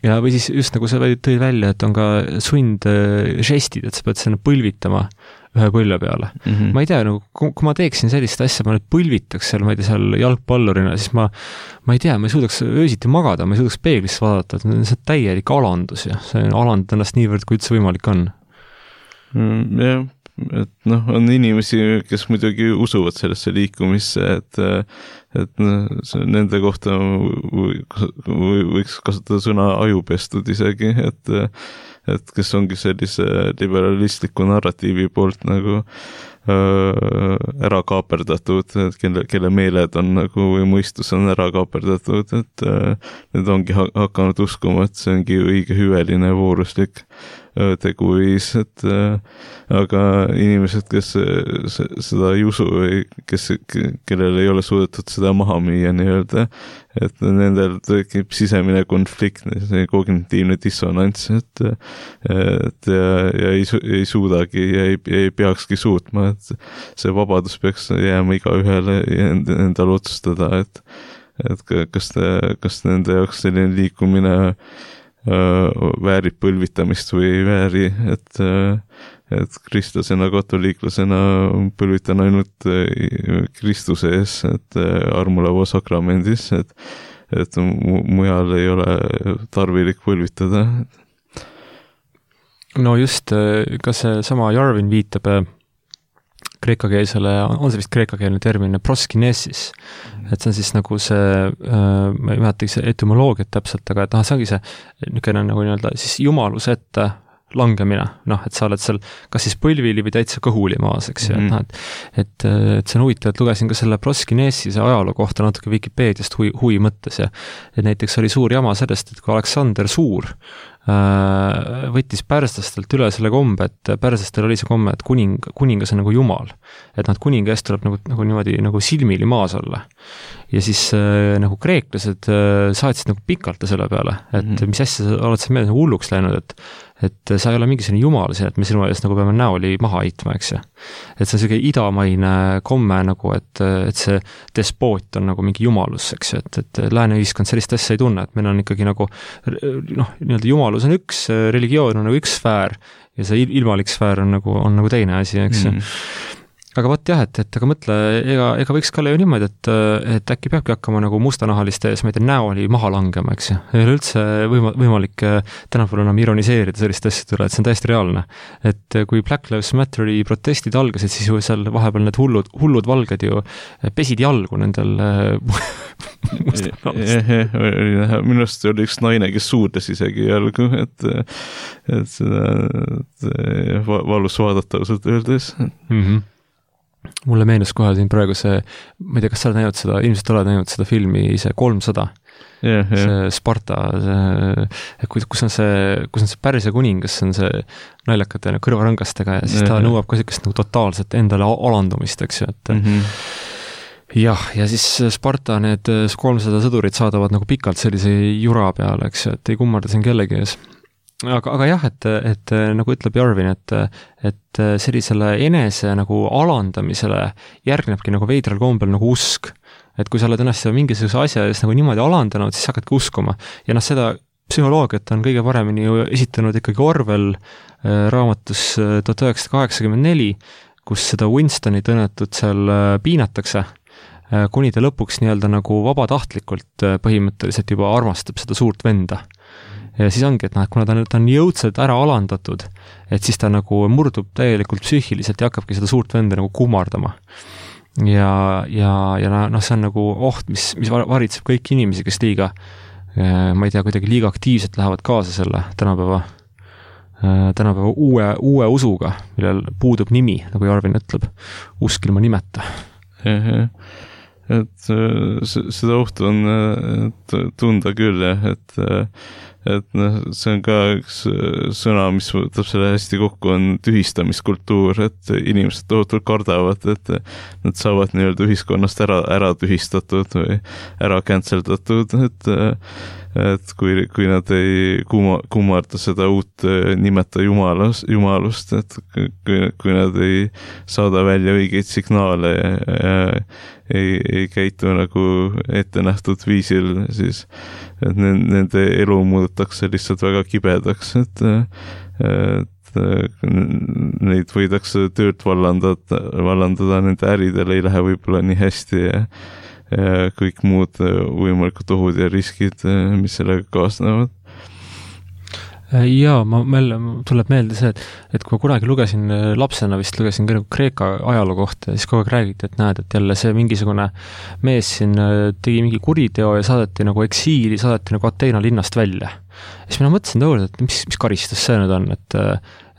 Ja või siis just nagu sa tõi välja, et on ka sund žestid, et sa pead sinna põlvitama ühe põlve peale. Mm-hmm. Ma ei tea, nagu, kui ma teeksin sellist asja, ma nüüd põlvitaks seal, ma ei tea, seal jalgpallurina, siis ma, ma ei tea, ma ei suudaks öösiti magada, ma ei suudaks peeglisse vaadata, et see on täielik alandus ja see on alandada ennast niivõrd, kui üldse võimalik on. Mm, jah, et noh, on inimesi, kes muidugi usuvad sellesse liikumisse, et, et nende kohta võiks kasutada sõna ajupestud isegi, et et kes ongi sellise liberalistliku narratiivi poolt nagu ära kaaperdatud, kelle, kelle meeled on nagu või mõistus on ära kaaperdatud, et need ongi hakanud uskuma, et see ongi õige hüveline vooruslik teguviis, et aga inimesed, kes seda ei usu või kes, kellel ei ole suudetud seda maha müüa nii-öelda, et nendel tekib sisemine konflikt, see kognitiivne dissonants, et, et ja, ja ei, ei suudagi ja ei, ei peakski suutma, et see vabadus peaks jääma igaühele endal otsustada, et, et kas, kas nende jaoks selline liikumine väärib põlvitamist või ei vääri, et, et kristlasena, katoliiklasena põlvitan ainult Kristuse ees, et armulava sakramendis, et, et mujal ei ole tarvilik põlvitada. No just, ka see sama Jarvin viitab kreekakeelsele, on see vist kreekakeelne termin, proskinesis, et see on siis nagu see, ma ei mäletagi see etümoloogiat täpselt, aga et noh, see ongi see niisugune nagu nii-öelda siis jumaluse ette langemine, noh, et sa oled seal kas siis põlvili või täitsa kõhuli maas, eks ju, mm -hmm. et, et, et see on huvitav, et lugesin ka selle proskinesise ajaloo kohta natuke Vikipeediast hui, hui mõttes ja et näiteks oli suur jama sellest, et kui Aleksander Suur võttis pärslastelt üle selle kombe, et pärslastel oli see komme, et kuning, kuningas on nagu jumal. Et nad kuninga eest tuleb nagu, nagu niimoodi nagu silmili maas olla. Ja siis äh, nagu kreeklased äh, saatsid nagu pikalt selle peale, et mm -hmm. mis asja sa oled sa meelde nagu hulluks läinud, et et sa ei ole mingisugune jumal siin, et me sinu eest nagu peame näoli maha heitma, eks ju. Et see on selline idamaine komme nagu, et, et see despoot on nagu mingi jumalus, eks ju, et, et lääne ühiskond sellist asja ei tunne, et meil on ikkagi nagu noh, nii-öelda jumalus on üks, religioon on nagu üks sfäär ja see ilmalik sfäär on nagu, on nagu teine asi, eks ju. Mm. Aga võt jah, et, et aga mõtle, ega, ega võiks ka ju niimoodi, et, et äkki peabki hakkama nagu mustanahaliste ees, ma ei tea, näoli maha langema, eks ju. Ei ole üldse võima, võimalik tänapäeval enam ironiseerida sellist asjad üle, et see on täiesti reaalne. Et kui Black Lives Matteri protestid algasid, siis ju seal vahepeal need hullud, hullud valged ju pesid jalgu nendel mustanahalist. Minu arust oli üks naine, kes suudles isegi jalgu, et, et seda et valus vaadata ausalt öeldes. Mhm. Mulle meenus kohe siin praegu see, ma ei tea, kas sa oled näinud seda, ilmselt oled näinud seda filmi, see kolmsada, yeah, yeah. see Sparta, see, kus on see, kus on see Pärsia kuningas, see on see naljakate kõrvarangastega ja siis yeah, ta nõuab ka sellist nagu totaalset endale alandumist, eks ju, et mm -hmm. jah, ja siis Sparta need kolmsada sõdurit saadavad nagu pikalt sellise jura peale, eks ju, et ei kummarda siin kellegi ees. Aga, aga jah, et, et nagu ütleb Jarvin, et, et sellisele enese nagu alandamisele järgnebki nagu veidral kombel nagu usk. Et kui sa oled ennast mingisuguse asja eest nagu niimoodi alandanud, siis hakkadki uskuma. Ja noh, seda psühholoogiat on kõige paremini ju esitanud ikkagi Orwell raamatus tuhat üheksasada kaheksakümmend neli, kus seda Winstonit õnnetut seal piinatakse, kuni ta lõpuks nii-öelda nagu vabatahtlikult põhimõtteliselt juba armastab seda suurt venda. Ja siis ongi, et noh, kuna ta, ta on jõudselt ära alandatud, et siis ta nagu murdub täielikult psüühiliselt ja hakkabki seda suurt venda nagu kummardama. Ja, ja, ja noh, see on nagu oht, mis, mis varitseb kõiki inimesi, kes liiga, ma ei tea, kuidagi liiga aktiivselt lähevad kaasa selle tänapäeva, tänapäeva uue, uue usuga, millel puudub nimi, nagu Jarvin ütleb, usk ilma nimeta. Et seda ohtu on tunda küll, et et noh, see on ka üks sõna, mis võtab selle hästi kokku, on tühistamiskultuur, et inimesed tohutult kardavad, et nad saavad nii-öelda ühiskonnast ära, ära tühistatud või ära canceldatud, et et kui, kui nad ei kumma, kummarda seda uut nimeta jumalust, jumalust, et kui, kui nad ei saada välja õigeid signaale ja, ja ei, ei käitu nagu ette nähtud viisil, siis et nende elu muudetakse lihtsalt väga kibedaks, et, et neid võidakse töölt vallandada, vallandada, nende äridel ei lähe võib-olla nii hästi ja ja kõik muud võimalikud ohud ja riskid, mis sellega kaasnevad. Jaa, ma, meil tuleb meelde see, et, et kui kunagi lugesin lapsena, vist lugesin Kreeka ajaloo kohta, siis kogu aeg räägiti, et näed, et jälle see mingisugune mees siin tegi mingi kuriteo ja saadeti nagu eksiili, saadeti nagu Ateena linnast välja. Ja siis mina mõtlesin tõoliselt, et mis, mis karistus see nüüd on, et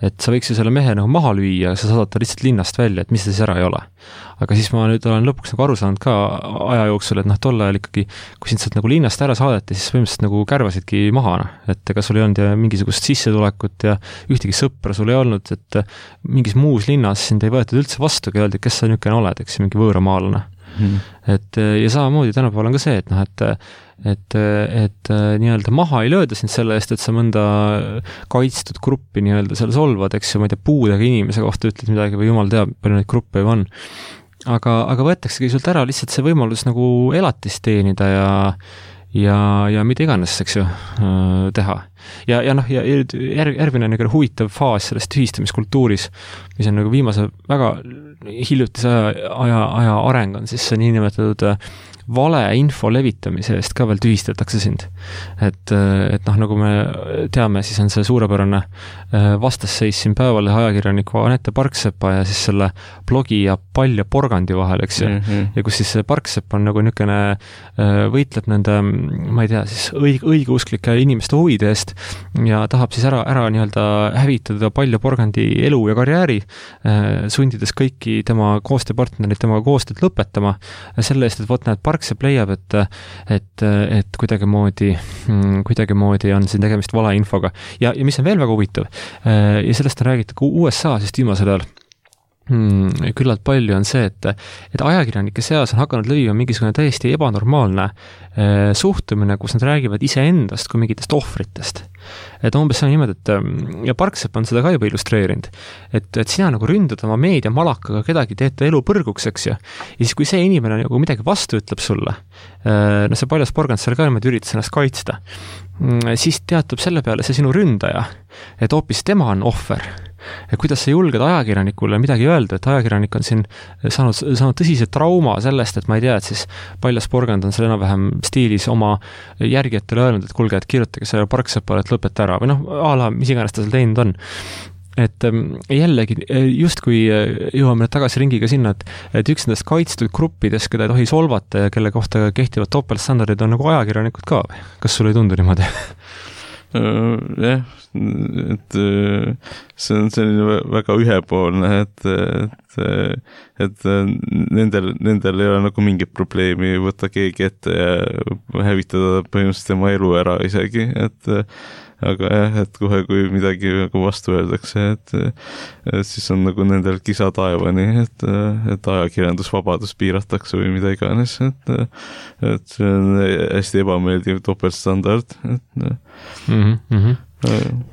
et sa võiks ju selle mehe nagu maha lüüa, sa saadad ta lihtsalt linnast välja, et mis ta siis ära ei ole. Aga siis ma nüüd olen lõpuks nagu aru saanud ka aja jooksul, et noh, tol ajal ikkagi, kui sind sealt nagu linnast ära saadeti, siis põhimõtteliselt nagu kärvasidki maha, noh. Et ega sul ei olnud ja mingisugust sissetulekut ja ühtegi sõpra sul ei olnud, et mingis muus linnas sind ei võetud üldse vastu, ja öeldi, kes sa niisugune oled, eks mingi võõramaalane. Hmm. Et ja samamoodi tänapäeval on ka see, et noh, et et, et nii-öelda maha ei lööda sind selle eest, et sa mõnda kaitstud gruppi nii-öelda seal solvad, eks ju, ma ei tea, puudega inimese kohta ütled midagi või jumal teab, palju neid gruppe juba on. Aga, aga võetaksegi sult ära lihtsalt see võimalus nagu elatist teenida ja ja, ja mida iganes, eks ju, teha. Ja, ja noh, ja järg, järgmine nagu huvitav faas sellest ühistamiskultuuris, mis on nagu viimase väga hiljutise aja, aja, aja areng on siis see niinimetatud vale info levitamise eest ka veel tühistatakse sind. Et, et noh, nagu me teame, siis on see suurepärane vastasseis siin Päevalehe ajakirjaniku Anette Parksepa ja siis selle blogi ja pall ja porgandi vahel, eks ju. Mm-hmm. Ja kus siis Parksepp on nagu niisugune võitleb nende, ma ei tea, siis õig, õigeusklike inimeste huvide eest ja tahab siis ära, ära nii-öelda hävitada pall ja porgandi elu ja karjääri, sundides kõiki tema koostööpartnerid temaga koostööd lõpetama selle eest, et võt näed Parksepp leiab, et, et, et kuidagimoodi, kuidagimoodi on siin tegemist valeinfoga. Ja, ja mis on veel väga huvitav, ja sellest on räägitud U S A siis viimasel ajal, Hmm, küllalt palju on see, et, et ajakirjanike seas on hakanud levima mingisugune täiesti ebanormaalne eh, suhtumine, kus nad räägivad iseendast kui mingitest ohvritest. Et umbes see on niimoodi, et ja Parksepp on seda ka juba illustreerinud, et, et sina nagu ründad oma meedia malakaga kedagi, teed ta elu põrguks, eks ju. Ja siis, kui see inimene nagu midagi vastu ütleb sulle, eh, no see paljas porgand seal ka niimoodi üritas ennast kaitsta, siis teatab selle peale see sinu ründaja, et hoopis tema on ohver. Ja kuidas sa julged ajakirjanikule midagi öelda, et ajakirjanik on siin saanud, saanud tõsise trauma sellest, et ma ei tea, et siis paljas porgand on seal enam-vähem stiilis oma järgijatele öelnud, et kulge, et kirjutage selle Parksepale, et lõpeta ära, või noh, ala, mis iganes ta seal teinud on. Et jällegi, just kui jõuame tagasi ringiga sinna, et, et üks nendest kaitstud gruppidest, keda ei tohi solvata ja kelle kohta kehtivad topeltstandardid on nagu ajakirjanikud ka, või? Kas sulle ei tundu niimoodi? Jah, et see on selline väga ühepoolne, et, et, et nendel, nendel ei ole nagu mingit probleemi võtta keegi ette ja hävitada põhimõtteliselt tema elu ära isegi, et aga jah, et kohe, kui midagi nagu vastu öeldakse, et, et siis on nagu nendel kisa taevani, et, et ajakirjandusvabadus piiratakse või mida iganes, et, et see on hästi ebameeldiv topeltstandard, et mm -hmm.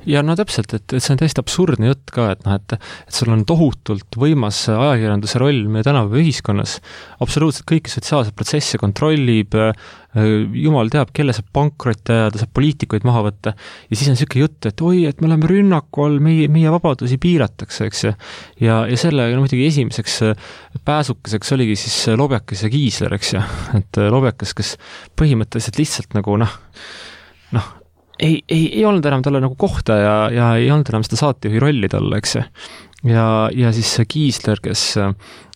ja no täpselt, et, et see on täiesti absurdne jutt ka, et noh, et, et sul on tohutult võimas ajakirjanduse roll meie tänapäeva ühiskonnas, absoluutselt kõiki sotsiaalseid protsesse kontrollib, jumal teab, kelle saab pankrotti ajada, saab poliitikuid maha võtta ja siis on niisugune jutt, et oi, et me oleme rünnaku all, meie, meie vabadusi piiratakse, eks ju. Ja, ja selle no, muidugi esimeseks pääsukeseks oligi siis Lobjakas ja Kiisler, eks ju, et Lobjakas, kes põhimõtteliselt lihtsalt nagu noh, noh, ei, ei, ei olnud enam talle nagu kohta ja, ja ei olnud enam seda saatejuhi rolli talle, eks ju. Ja, ja siis Kiisler, kes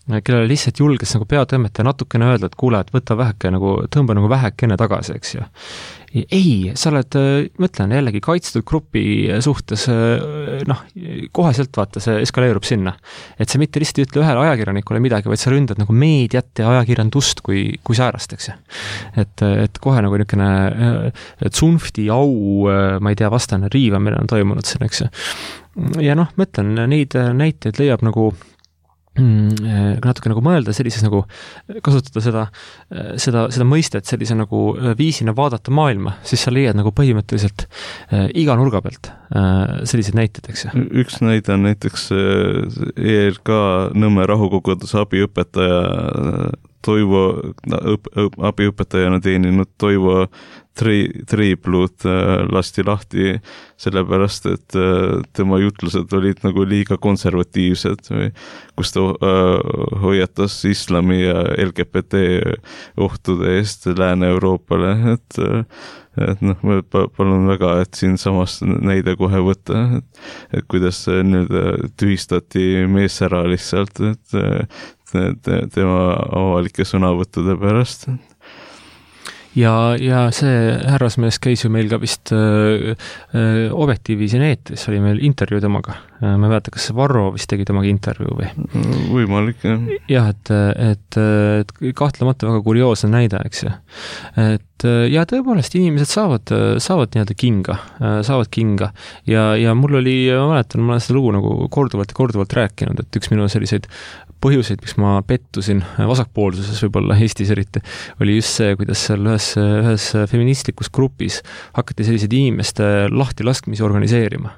kellele lihtsalt julges nagu peatõmmeta natukene öelda, et kuule, et võta väheke nagu, tõmba nagu vähekene tagasi, eks ju. Ei, sa oled, mõtlen jällegi kaitstud grupi suhtes, noh, koheselt vaata, see eskaleerub sinna. Et sa mitte lihtsalt ei ütle ühele ajakirjanikule midagi, vaid sa ründad nagu meediat ja ajakirjandust kui, kui säärast, eks ju. Et, et kohe nagu niisugune tsunfti au, ma ei tea, vastane riivamine on toimunud siin, eks ju. Ja noh, mõtlen, neid näiteid leiab nagu natuke nagu mõelda sellises nagu, kasutada seda, seda, seda mõistet sellise nagu viisina vaadata maailma, siis sa leiad nagu põhimõtteliselt iga nurga pealt sellised näited, eks ju. Üks näide on näiteks E R K Nõmme rahukoguduse abiõpetaja Toivo, abiõpetajana teeninud Toivo tri, triibluud lasti lahti sellepärast, et tema jutlused olid nagu liiga konservatiivsed, kus ta hoiatas islami ja L G B T ohtude eest Lääne-Euroopale, et et noh, ma palun väga, et siin samas näide kohe võtta, et, et kuidas nüüd tühistati mees ära lihtsalt, et te, tema avalike sõnavõttude pärast. ja, ja see härrasmees käis ju meil ka vist öö, öö, Objektiivi siin eetris, oli meil intervjuu temaga. Ma ei mäleta, kas Varro vist tegi temaga intervjuu või? Võimalik, jah. Jah, et, et, et kahtlemata väga kurioosne näide, eks ju. Et ja tõepoolest inimesed saavad, saavad nii-öelda kinga, saavad kinga ja, ja mul oli, ma mäletan, ma olen seda lugu nagu korduvalt ja korduvalt rääkinud, et üks minu selliseid põhjuseid, miks ma pettusin vasakpoolsuses võib-olla Eestis eriti, oli just see, kuidas seal ühes, ühes feministlikus grupis hakati sellised inimeste lahti laskmisi organiseerima.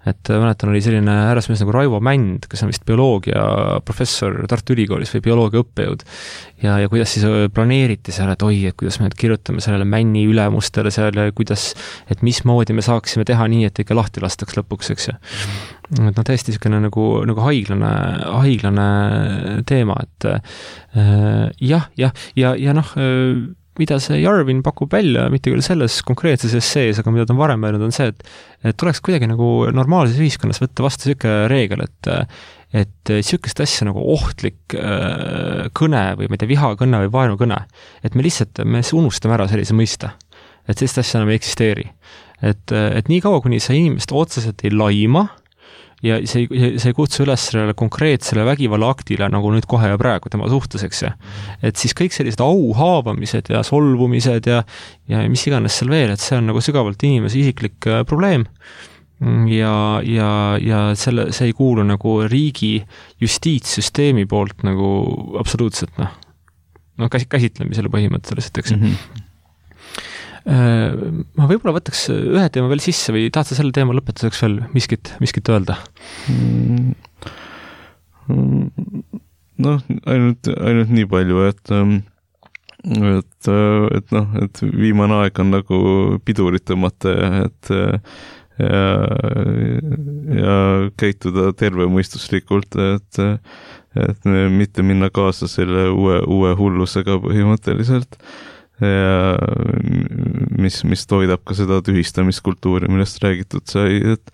Et mäletan, oli selline härrasmees nagu Raivo Mänd, kes on vist bioloogia professor Tartu Ülikoolis või bioloogia õppejõud ja, ja kuidas siis planeeriti seal, et oi, et kuidas me nüüd kirjutame sellele Männi ülemustele seal ja kuidas, et mismoodi me saaksime teha nii, et ikka lahti lastaks lõpuks, eks ju. Et no täiesti niisugune nagu, nagu haiglane, haiglane teema, et äh, jah, jah, ja, ja noh, mida see Jarvin pakub välja, mitte küll selles konkreetses essees, aga mida ta on varem öelnud, on see, et, et tuleks kuidagi nagu normaalses ühiskonnas võtta vastu niisugune reegel, et et niisugust asja nagu ohtlik äh, kõne või ma ei tea, vihakõne või vaenukõne, et me lihtsalt, me unustame ära sellise mõista, et sellist asja enam ei eksisteeri. Et, et nii kaua, kuni sa inimest otseselt ei laima, ja see, see ei kutsu üles sellele konkreetsele vägivalla aktile nagu nüüd kohe ja praegu tema suhtuseks. Et siis kõik sellised auhaavamised ja solvumised ja, ja mis iganes seal veel, et see on nagu sügavalt inimese isiklik probleem ja, ja, ja selle, see ei kuulu nagu riigi justiitssüsteemi poolt nagu absoluutselt noh, no käsitlemisele põhimõtteliselt, eks. Mm-hmm. Ma võib-olla võtaks ühe teema veel sisse või tahad sa selle teema lõpetuseks veel miskit, miskit öelda? Noh, ainult, ainult nii palju, et et, et noh, et viimane aeg on nagu pidurit tõmmata ja et ja, ja käituda tervemõistuslikult, et et mitte minna kaasa selle uue, uue hullusega põhimõtteliselt ja mis, mis toidab ka seda tühistamiskultuuri, millest räägitud sai, et,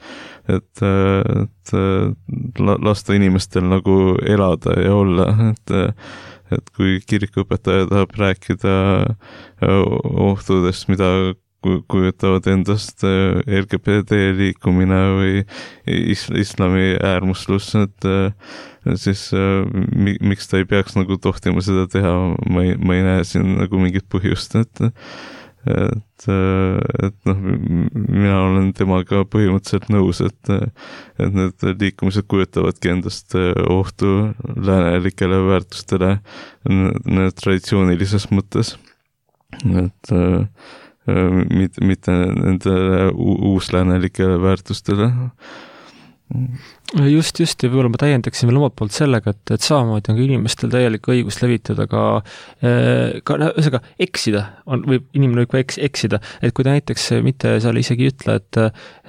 et, et lasta inimestel nagu elada ja olla, et, et kui kirikuõpetaja tahab rääkida ohtudest, mida kujutavad endast L G B T liikumine või is- islami äärmuslus, et siis mi- miks ta ei peaks nagu tohtima seda teha, ma ei, ma ei näe siin nagu mingit põhjust, et et, et noh, mina olen temaga põhimõtteliselt nõus, et et need liikumised kujutavadki endast ohtu läänelikele väärtustele traditsioonilises mõttes, et mitte, mitte nende uusläänelikele väärtustele. Just, just, ja võib-olla ma täiendaksin veel omalt poolt sellega, et, et samamoodi on ka inimestel täielik õigus levitada ka, ka ühesõnaga eksida, on, võib, inimene võib ka eks, eksida, et kui ta näiteks mitte seal isegi ütle, et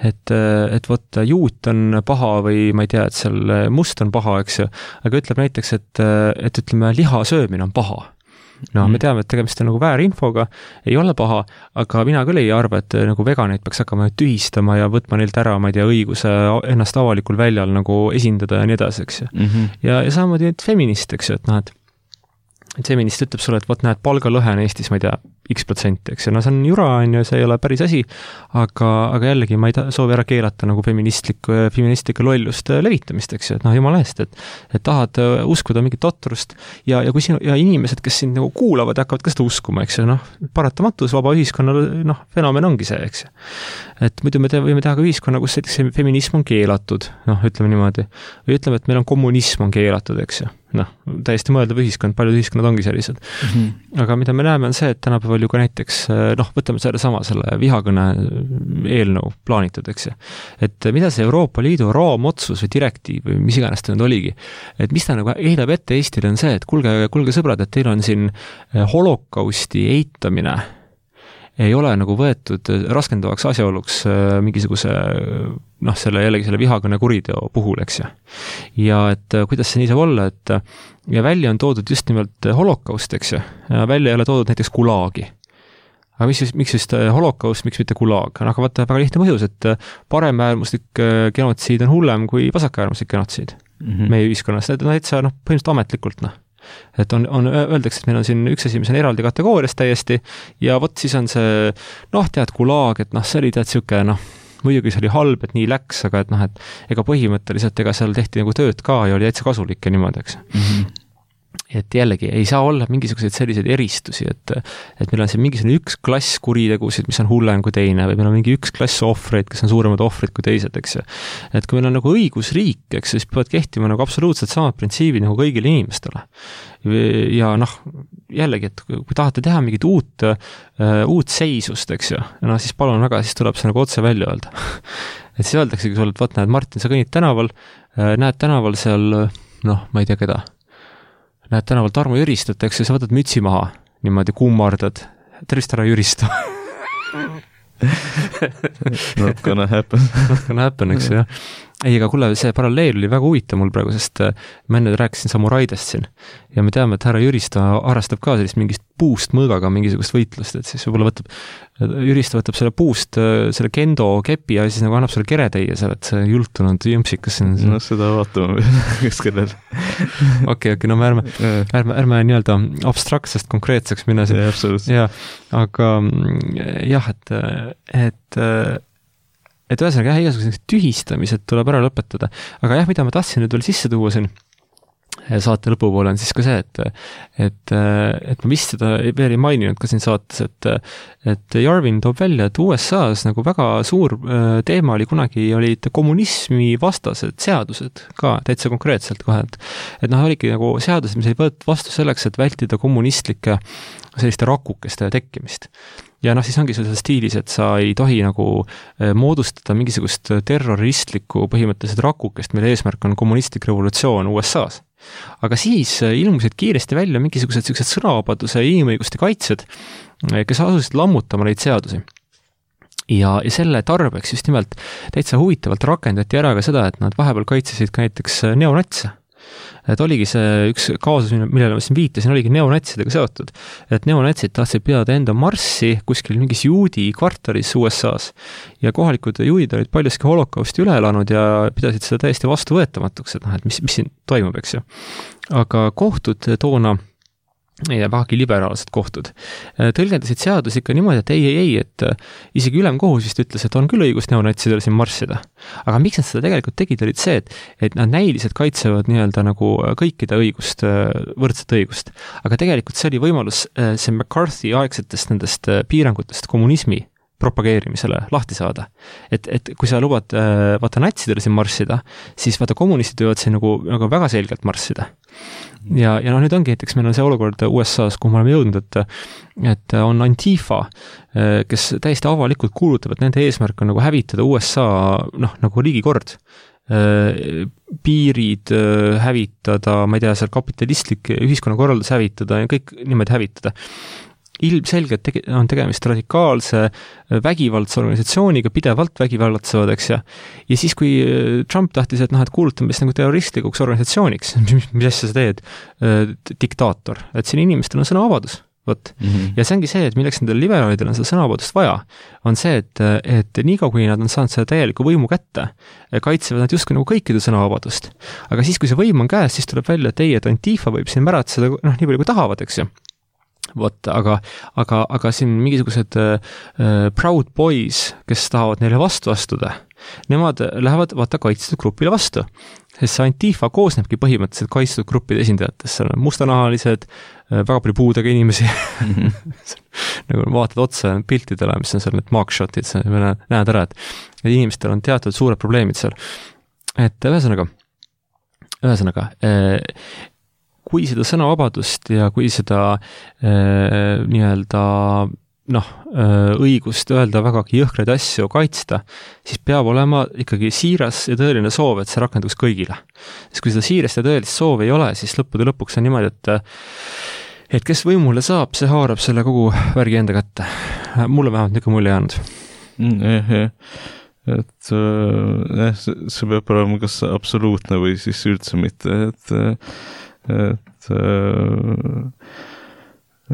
et, et vot juut on paha või ma ei tea, et seal must on paha, eks ju, aga ütleb näiteks, et, et ütleme, liha söömine on paha. No me teame, et tegemist on nagu väärinfoga, ei ole paha, aga mina küll ei arva, et nagu veganeid peaks hakkama tühistama ja võtma neilt ära, ma ei tea, õiguse ennast avalikul väljal nagu esindada ja nii edasi, eks ju. Mm-hmm. Ja, ja samamoodi et feminist, eks ju, et noh, et et feminist ütleb sulle, et vot näed, palgalõhe on Eestis, ma ei tea, X protsenti, eks ju, no see on jura, on ju, see ei ole päris asi, aga, aga jällegi ma ei ta, soovi ära keelata nagu feministlikku, feministlikku lollust levitamist, eks ju, et noh, jumala eest, et, et tahad uskuda mingit totrust ja, ja kui sinu, ja inimesed, kes sind nagu kuulavad, hakkavad ka seda uskuma, eks ju, noh, paratamatus vaba ühiskonna, noh, fenomen ongi see, eks ju. Et muidu me te, võime teha ka ühiskonna, kus näiteks feminism on keelatud, noh, ütleme niimoodi, või ütleme, et meil on kommunism on keelatud, eks ju. Noh, täiesti mõeldav ühiskond, paljud ühiskonnad ongi sellised. Mm-hmm. Aga mida me näeme on see, et tänapäeval ju ka näiteks, noh, võtame selle sama, selle vihakõne eelnõu plaanitud, eks ju. Et mida see Euroopa Liidu raamotsus või direktiiv või mis iganes ta nüüd oligi, et mis ta nagu heidab ette Eestile on see, et kulge, kulge sõbrad, et teil on siin holokausti eitamine ei ole nagu võetud raskendavaks asjaoluks mingisuguse, noh, selle jällegi selle vihakõne kuriteo puhul, eks ju. Ja et kuidas see nii saab olla, et ja välja on toodud just nimelt holokaust, eks ju, ja välja ei ole toodud näiteks gulaagi. Aga mis, miks just holokaust, miks mitte gulaag? Aga vaata, väga lihtne põhjus, et paremäärmuslik genotsiid on hullem kui vasakäärmuslik genotsiid mm-hmm. meie ühiskonnas. Need on täitsa, noh, põhimõtteliselt ametlikult, noh. et on, on, öeldakse, et meil on siin üks asi, mis on eraldi kategoorias täiesti ja vot siis on see, noh, tead, gulaag, et noh, see oli tead siuke, noh, muidugi see oli halb, et nii läks, aga et noh, et ega põhimõtteliselt ega seal tehti nagu tööd ka ja oli täitsa kasulik ja niimoodi, eks. Mm-hmm. Et jällegi ei saa olla mingisuguseid selliseid eristusi, et, et meil on siin mingisugune üks klass kuritegusid, mis on hullem kui teine, või meil on mingi üks klass ohvreid, kes on suuremad ohvrid kui teised, eks ju. Et kui meil on nagu õigusriik, eks, siis peavad kehtima nagu absoluutselt samad printsiibid nagu kõigile inimestele. Ja noh, jällegi, et kui tahate teha mingit uut, uh, uut seisust, eks ju, no siis palun väga, siis tuleb see nagu otse välja öelda. Et siis öeldaksegi sulle, et vaat näed, Martin, sa kõnnid tänaval, näed tänaval seal, noh, ma ei tea keda, näed tänaval Tarmo Jüristot, eks, ja sa võtad mütsi maha, niimoodi kummardad, tervist ära Jüristo. Not gonna happen. Not gonna happen, eks, jah. Ei, aga kuule, see paralleel oli väga huvitav mul praegu, sest ma enne rääkisin samuraidest siin ja me teame, et härra Jüristo harrastab ka sellist mingist puust mõõgaga mingisugust võitlust, et siis võib-olla võtab, Jüristo võtab selle puust, selle kendo kepi ja siis nagu annab selle kereteie seal, et see jultunud jõmpsikas siin. No seda vaatame, kes kellel. Okei, okei, no me ärme, ärme, ärme nii-öelda abstraktsest konkreetseks minna siin. Ja, absoluutselt. Ja, aga jah, et, et et ühesõnaga jah, igasugused tühistamised tuleb ära lõpetada. Aga jah, mida ma tahtsin nüüd veel sisse tuua siin saate lõpupoole on siis ka see, et, et, et ma vist seda veel ei maininud ka siin saates, et, et Jarvin toob välja, et U S A-s nagu väga suur teema oli kunagi, olid kommunismi vastased seadused ka täitsa konkreetselt kohe, et, et noh, oligi nagu seadused, mis ei võetud vastu selleks, et vältida kommunistlike selliste rakukeste tekkimist. Ja noh, siis ongi selles stiilis, et sa ei tohi nagu moodustada mingisugust terroristlikku põhimõtteliselt rakukest, mille eesmärk on kommunistlik revolutsioon U S A-s. Aga siis ilmusid kiiresti välja mingisugused sellised sõnavabaduse ja inimõiguste kaitsjad, kes asusid lammutama neid seadusi. Ja, ja selle tarbeks just nimelt täitsa huvitavalt rakendati ära ka seda, et nad vahepeal kaitsesid ka näiteks neonatse. Et oligi see üks kaasus, millele ma siin viitasin, oligi neonatsidega seotud. Et neonatsid tahtsid pidada enda marssi kuskil mingis juudi kvartalis U S A-s. Ja kohalikud juudid olid paljuski holokausti üle elanud ja pidasid seda täiesti vastuvõetamatuks, et noh, et mis, mis siin toimub, eks ju. Aga kohtud toona ja vähagi liberaalsed kohtud tõlgendasid seadus ikka niimoodi, et ei, ei, ei, et isegi ülemkohus vist ütles, et on küll õigus neonatsidele siin marssida. Aga miks nad seda tegelikult tegid, olid see, et, et nad näiliselt kaitsevad nii-öelda nagu kõikide õigust, võrdset õigust. Aga tegelikult see oli võimalus see McCarthy aegsetest nendest piirangutest kommunismi propageerimisele lahti saada. Et, et kui sa lubad vaata natsidele siin marssida, siis vaata kommunistid võivad siin nagu, nagu väga selgelt marssida. Ja, ja noh, nüüd ongi näiteks, meil on see olukord U S A-s, kuhu me oleme jõudnud, et, et on Antifa, kes täiesti avalikult kuulutab, et nende eesmärk on nagu hävitada U S A, noh, nagu riigikord. Piirid hävitada, ma ei tea, seal kapitalistlik ühiskonnakorraldus hävitada ja kõik niimoodi hävitada. Ilmselgelt tege- on tegemist radikaalse vägivaldse organisatsiooniga, pidevalt vägivallatsevad, eks ja. Ja siis, kui Trump tahtis, et noh, et kuulutamist nagu terroristlikuks organisatsiooniks, mis, mis asja sa teed, diktaator, et siin inimestel on sõnavabadus. Võt. Mm-hmm. Ja see ongi see, et milleks nendel liberaalidel on seda sõnavabadust vaja, on see, et, et nii kaua, kui nad on saanud seda täieliku võimu kätte, kaitsevad nad justkui nagu kõikide sõnavabadust. Aga siis, kui see võim on käes, siis tuleb välja, et ei, et Antifa võib siin märata seda, noh, nii palju kui tahavad, eks ju. Vot, aga, aga, aga siin mingisugused äh, proud boys, kes tahavad neile vastu astuda, nemad lähevad vaata kaitstud grupile vastu. Sest see Antifa koosnebki põhimõtteliselt kaitstud gruppide esindajatest, seal on mustanahalised, väga palju puudega inimesi, mm-hmm. nagu vaatad otsa piltidele, mis on seal need mugshotid, näed ära, et inimestel on teatud suured probleemid seal. Et ühesõnaga, ühesõnaga, äh, kui seda sõnavabadust ja kui seda äh, nii-öelda noh, äh, õigust öelda vägagi jõhkreid asju kaitsta, siis peab olema ikkagi siiras ja tõeline soov, et see rakenduks kõigile. Sest kui seda siirast ja tõelist soovi ei ole, siis lõppude lõpuks on niimoodi, et et kes võimule saab, see haarab selle kogu värgi enda kätte. Mulle vähemalt niisugune mulje jäänud. Mm, eh, eh. Et äh, see, see peab olema kas absoluutne või siis üldse mitte, et et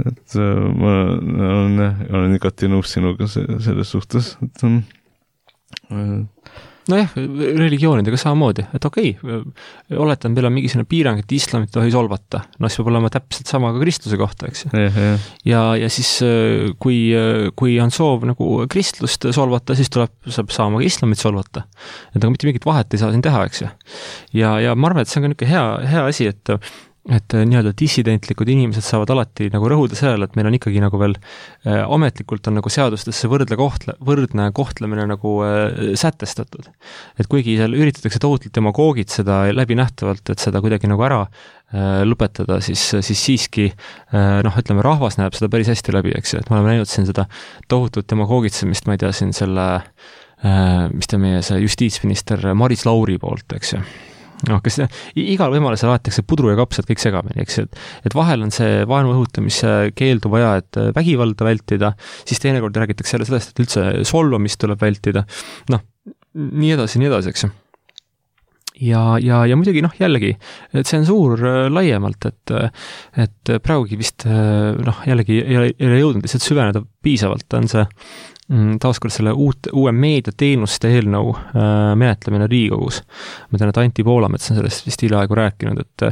et ma olen, olen igati nõus sinuga selles suhtes, et nojah, religioonidega samamoodi, et okei okay,, oletan, meil on mingisugune piirang, et islamit tohi solvata, no siis peab olema täpselt sama ka kristluse kohta, eks ju. ja, ja siis kui, kui on soov nagu kristlust solvata, siis tuleb, saab saama ka islamit solvata. Et aga mitte mingit vahet ei saa siin teha, eks ju. Ja, ja ma arvan, et see on ka niisugune hea, hea asi, et et nii-öelda dissidentlikud inimesed saavad alati nagu rõhuda sellele, et meil on ikkagi nagu veel äh, ametlikult on nagu seadustesse võrdle kohtle, võrdne kohtlemine nagu äh, sätestatud. Et kuigi seal üritatakse tohutult demagoogid seda läbi nähtavalt, et seda kuidagi nagu ära äh, lõpetada, siis, siis siiski äh, noh, ütleme, rahvas näeb seda päris hästi läbi, eks ju, et me oleme näinud siin seda tohutut demagoogitsemist, ma ei tea, siin selle äh, mis ta meie see justiitsminister Maris Lauri poolt, eks ju. noh, kes igal võimalusel aetakse pudru ja kapsad kõik segamini, eks, et, et vahel on see vaenu õhutamise keeldu vaja, et vägivalda vältida, siis teinekord räägitakse jälle sellest, et üldse solvamist tuleb vältida, noh, nii edasi, nii edasi, eks. Ja, ja, ja muidugi, noh, jällegi, tsensuur laiemalt, et, et praegugi vist, noh, jällegi ei ole, ei ole jõudnud lihtsalt süveneda piisavalt, on see taaskord selle uut, uue meediateenuste eelnõu äh, menetlemine Riigikogus. Ma tean, et Anti Poolamets on sellest vist hiljaaegu rääkinud, et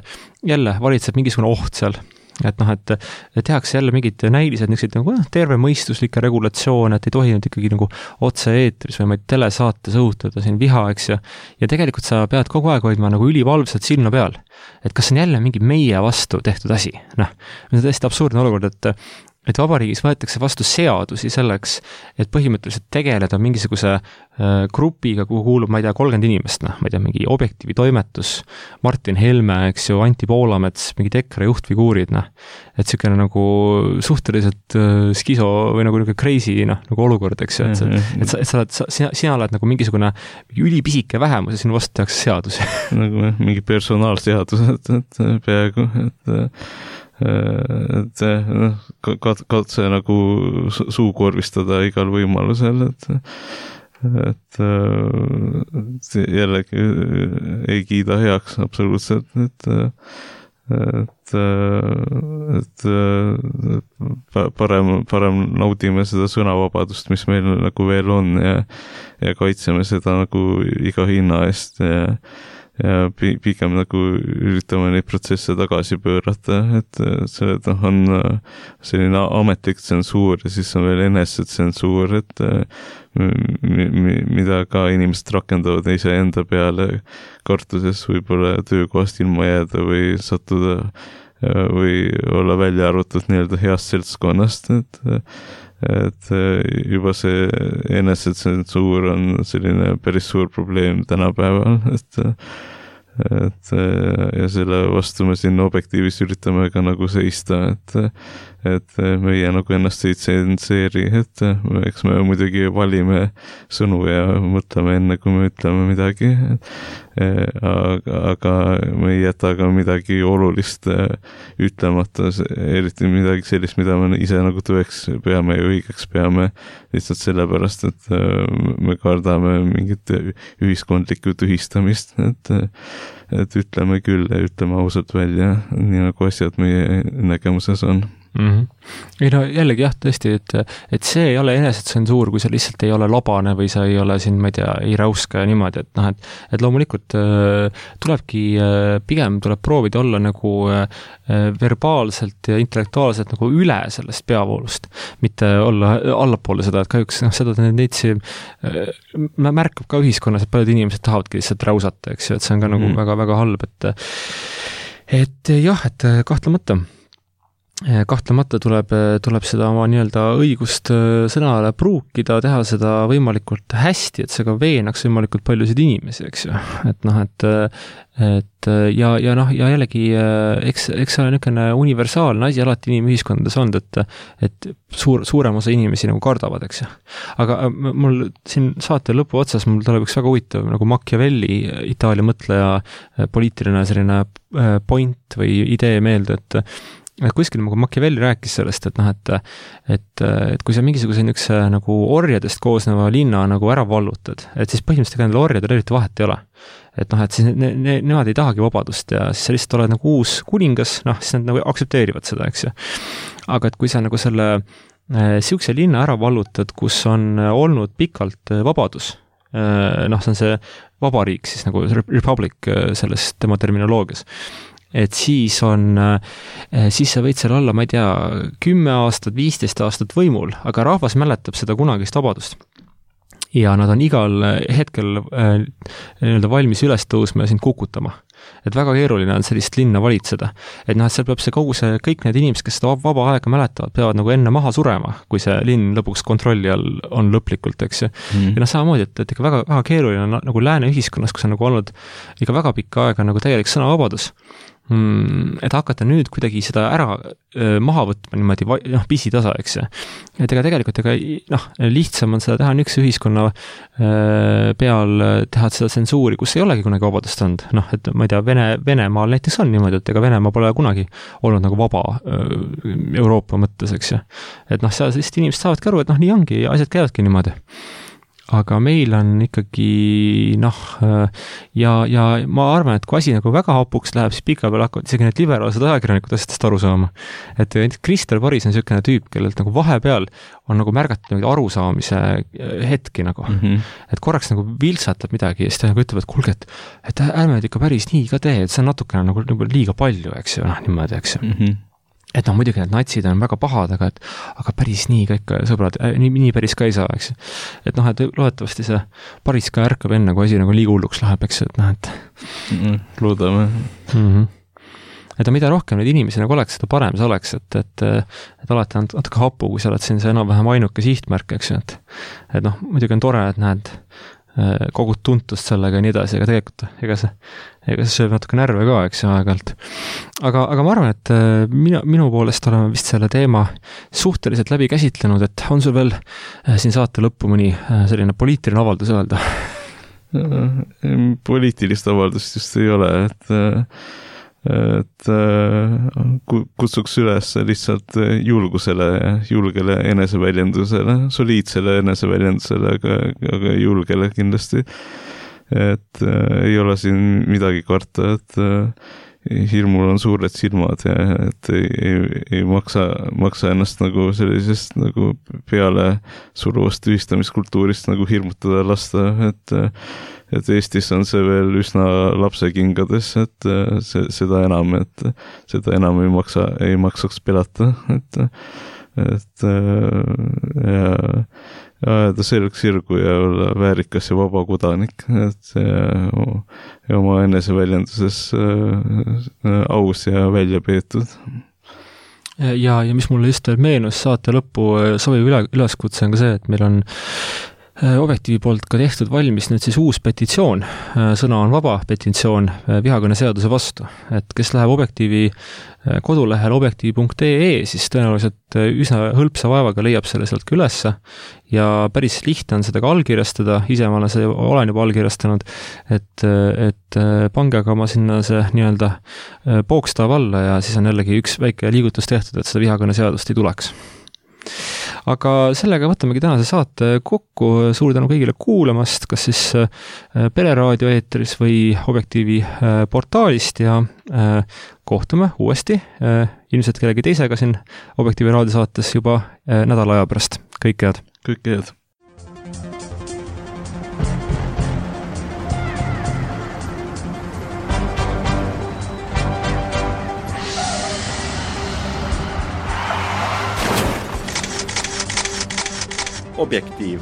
jälle valitseb mingisugune oht seal, et noh, et tehakse jälle mingid näilised niisugused nagu terve mõistuslikke regulatsioone, et ei tohi nüüd ikkagi nagu otse-eetris või ma ei telesaates õhutada siin viha, eks ju, ja tegelikult sa pead kogu aeg hoidma nagu ülivalvsalt silma peal, et kas on jälle mingi meie vastu tehtud asi, noh, see on täiesti absurdne olukord, et et vabariigis võetakse vastu seadusi selleks, et põhimõtteliselt tegeleda mingisuguse äh, grupiga, kuhu kuulub, ma ei tea, kolmkümmend inimest, noh, ma ei tea, mingi Objektiivi toimetus, Martin Helme, eks ju, Anti Poolamets, mingi Tekra juhtfiguurid, noh, et niisugune nagu suhteliselt äh, skiso või nagu niisugune crazy, noh, nagu olukord, eks ju, et, et, sa, et sa oled, sa, sina, sina oled nagu mingisugune ülipisike vähemus ja sinu vastu tehakse seadusi. nagu mingi personaalseadus, et, et peaaegu, et et noh, katse nagu suukorvistada igal võimalusel, et et jällegi ei kiida heaks absoluutselt, et et et parem, parem naudime seda sõnavabadust, mis meil nagu veel on ja, ja kaitseme seda nagu iga hinna eest ja ja pigem nagu üritame neid protsesse tagasi pöörata, et see noh, on selline ametlik tsensuur ja siis on veel enesetsensuur, et mida ka inimesed rakendavad ise enda peale kartuses võib-olla töökohast ilma jääda või sattuda või olla välja arvatud nii-öelda heast seltskonnast, et et juba see enesetsensuur on selline päris suur probleem tänapäeval, et et ja selle vastu me siin Objektiivis üritame ka nagu seista, et et meie nagu ennast ei tsenseeri, et eks me muidugi valime sõnu ja mõtleme enne, kui me ütleme midagi, aga, aga me ei jäta ka midagi olulist ütlemata, eriti midagi sellist, mida me ise nagu tõeks peame ja õigeks peame, lihtsalt sellepärast, et me kardame mingit ühiskondlikku tühistamist, et et ütleme küll ja ütleme ausalt välja, nii nagu asjad meie nägemuses on. Mm-hmm. ei no jällegi jah, tõesti, et, et see ei ole enesetsensuur, kui sa lihtsalt ei ole labane või sa ei ole siin, ma ei tea, ei räuska ja niimoodi, et noh, et, et loomulikult äh, tulebki äh, pigem tuleb proovida olla nagu äh, verbaalselt ja intellektuaalselt nagu üle sellest peavoolust, mitte olla allapoole seda, et kahjuks noh, seda neitsi äh, märkab ka ühiskonnas, et paljud inimesed tahavadki lihtsalt räusata, eks ju, et see on ka mm-hmm. nagu väga-väga halb, et et jah, et kahtlemata kahtlemata tuleb, tuleb seda oma nii-öelda õigust sõnale pruukida, teha seda võimalikult hästi, et see ka veenaks võimalikult paljusid inimesi, eks ju. Et noh, et, et ja, ja noh, ja jällegi, eks, eks see on niisugune universaalne asi alati inimühiskondades olnud, et, et suur, suurem osa inimesi nagu kardavad, eks ju. Aga mul siin saate lõpu otsas, mul tuleb üks väga huvitav nagu Machiavelli, Itaalia mõtleja poliitiline selline point või idee meelde, et et kuskil nagu Machiavelli rääkis sellest, et noh, et, et, et kui sa mingisuguse niisuguse nagu orjadest koosneva linna nagu ära vallutad, et siis põhimõtteliselt nendel orjadel eriti vahet ei ole. Et noh, et siis ne, ne, nemad ei tahagi vabadust ja siis sa lihtsalt oled nagu uus kuningas, noh, siis nad nagu aktsepteerivad seda, eks ju. Aga et kui sa nagu selle siukse linna ära vallutad, kus on olnud pikalt vabadus, noh, see on see vabariik siis nagu republic selles tema terminoloogias. Et siis on, siis sa võid seal olla, ma ei tea, kümme aastat, viisteist aastat võimul, aga rahvas mäletab seda kunagist vabadust. Ja nad on igal hetkel nii-öelda valmis üles tõusma ja sind kukutama. Et väga keeruline on sellist linna valitseda. Et noh, et seal peab see kogu see, kõik need inimesed, kes seda vaba aega mäletavad, peavad nagu enne maha surema, kui see linn lõpuks kontrolli all on lõplikult, eks ju. Mm. Ja noh, samamoodi, et, et ikka väga, väga keeruline on nagu lääne ühiskonnas, kus on nagu olnud ikka väga pikka aega nagu täielik sõnavabadus. Mm, et hakata nüüd kuidagi seda ära öö, maha võtma niimoodi noh, pisitasa, eks ju. Et ega tegelikult ega noh, lihtsam on seda teha üks ühiskonna öö, peal teha seda tsensuuri, kus ei olegi kunagi vabadust olnud. Noh, et ma ei tea, Vene, Venemaal näiteks on niimoodi, et ega Venemaa pole kunagi olnud nagu vaba öö, Euroopa mõttes, eks ju. Et noh, seal sellist inimesed saavadki aru, et noh, nii ongi, asjad käivadki niimoodi. Aga meil on ikkagi noh, ja, ja ma arvan, et kui asi nagu väga hapuks läheb, siis pika peal hakkavad isegi need liberaalsed ajakirjanikud asjadest aru saama. Et Kristel Paris on selline tüüp, kellelt nagu vahepeal on nagu märgatud arusaamise hetki nagu. Mm-hmm. Et korraks nagu viltsatab midagi ja siis ta nagu ütleb, et kulge, et, et ärme ikka päris nii ka tee, et see on natukene nagu, nagu liiga palju, eks ju, noh, niimoodi, eks ju. Mm-hmm. Et noh, muidugi need natsid on väga pahad, aga, et, aga päris nii ka ikka, sõbrad, nii, nii päris ka ei saa, eks. Et noh, et loodetavasti see Paris ka ärkab enne, kui asi nagu liiga hulluks läheb, eks, et noh, et mm, loodame. Mm-hmm. Et mida rohkem neid inimesi nagu oleks, seda parem see oleks, et, et, et alati on natuke hapu, kui sa oled siin see enam-vähem ainuke sihtmärk, eks, et, et noh, muidugi on tore, et näed kogud tuntust sellega ja nii edasi, aga tegelikult ega see, ega see sööb natuke närve ka, eks aeg-ajalt. Aga, aga ma arvan, et minu, minu poolest oleme vist selle teema suhteliselt läbi käsitlenud, et on sul veel siin saate lõppu mõni selline poliitiline avaldus öelda? Poliitilist avaldust just ei ole, et et kutsuks üles lihtsalt julgusele, julgele eneseväljendusele, soliidsele eneseväljendusele, aga, aga julgele kindlasti. Et ei ole siin midagi karta, et hirmul on suured silmad ja et ei, ei, ei maksa, maksa ennast nagu sellisest nagu peale suruvast tühistamiskultuurist nagu hirmutada lasta, et et Eestis on see veel üsna lapsekingades, et see, seda enam, et seda enam ei maksa, ei maksaks pelata, et, et ja, ja ta selgeks sirgu ja olla väärikas ja vaba kodanik, et ja, ja oma eneseväljenduses aus ja välja peetud. Ja, ja mis mulle just meenus saate lõppu sobiv üle, üleskutse on ka see, et meil on Objektiivi poolt ka tehtud valmis nüüd siis uus petitsioon, sõna on vaba petitsioon vihakõne seaduse vastu, et kes läheb Objektiivi kodulehel objektiiv punkt ee, siis tõenäoliselt üsna hõlpsa vaevaga leiab selle sealt ka ülesse ja päris lihtne on seda ka allkirjastada, ise ma olen, see, olen juba allkirjastanud, et, et pange aga ma sinna see nii-öelda pookstav alla ja siis on jällegi üks väike liigutus tehtud, et seda vihakõne seadust ei tuleks. Aga sellega võtamegi tänase saate kokku, suur tänu kõigile kuulamast, kas siis Pereraadio eetris või Objektiivi portaalist ja kohtume uuesti ilmselt kellegi teisega siin Objektiivi raadiosaates juba nädala aja pärast. Kõik head! Kõik head! Objektiiv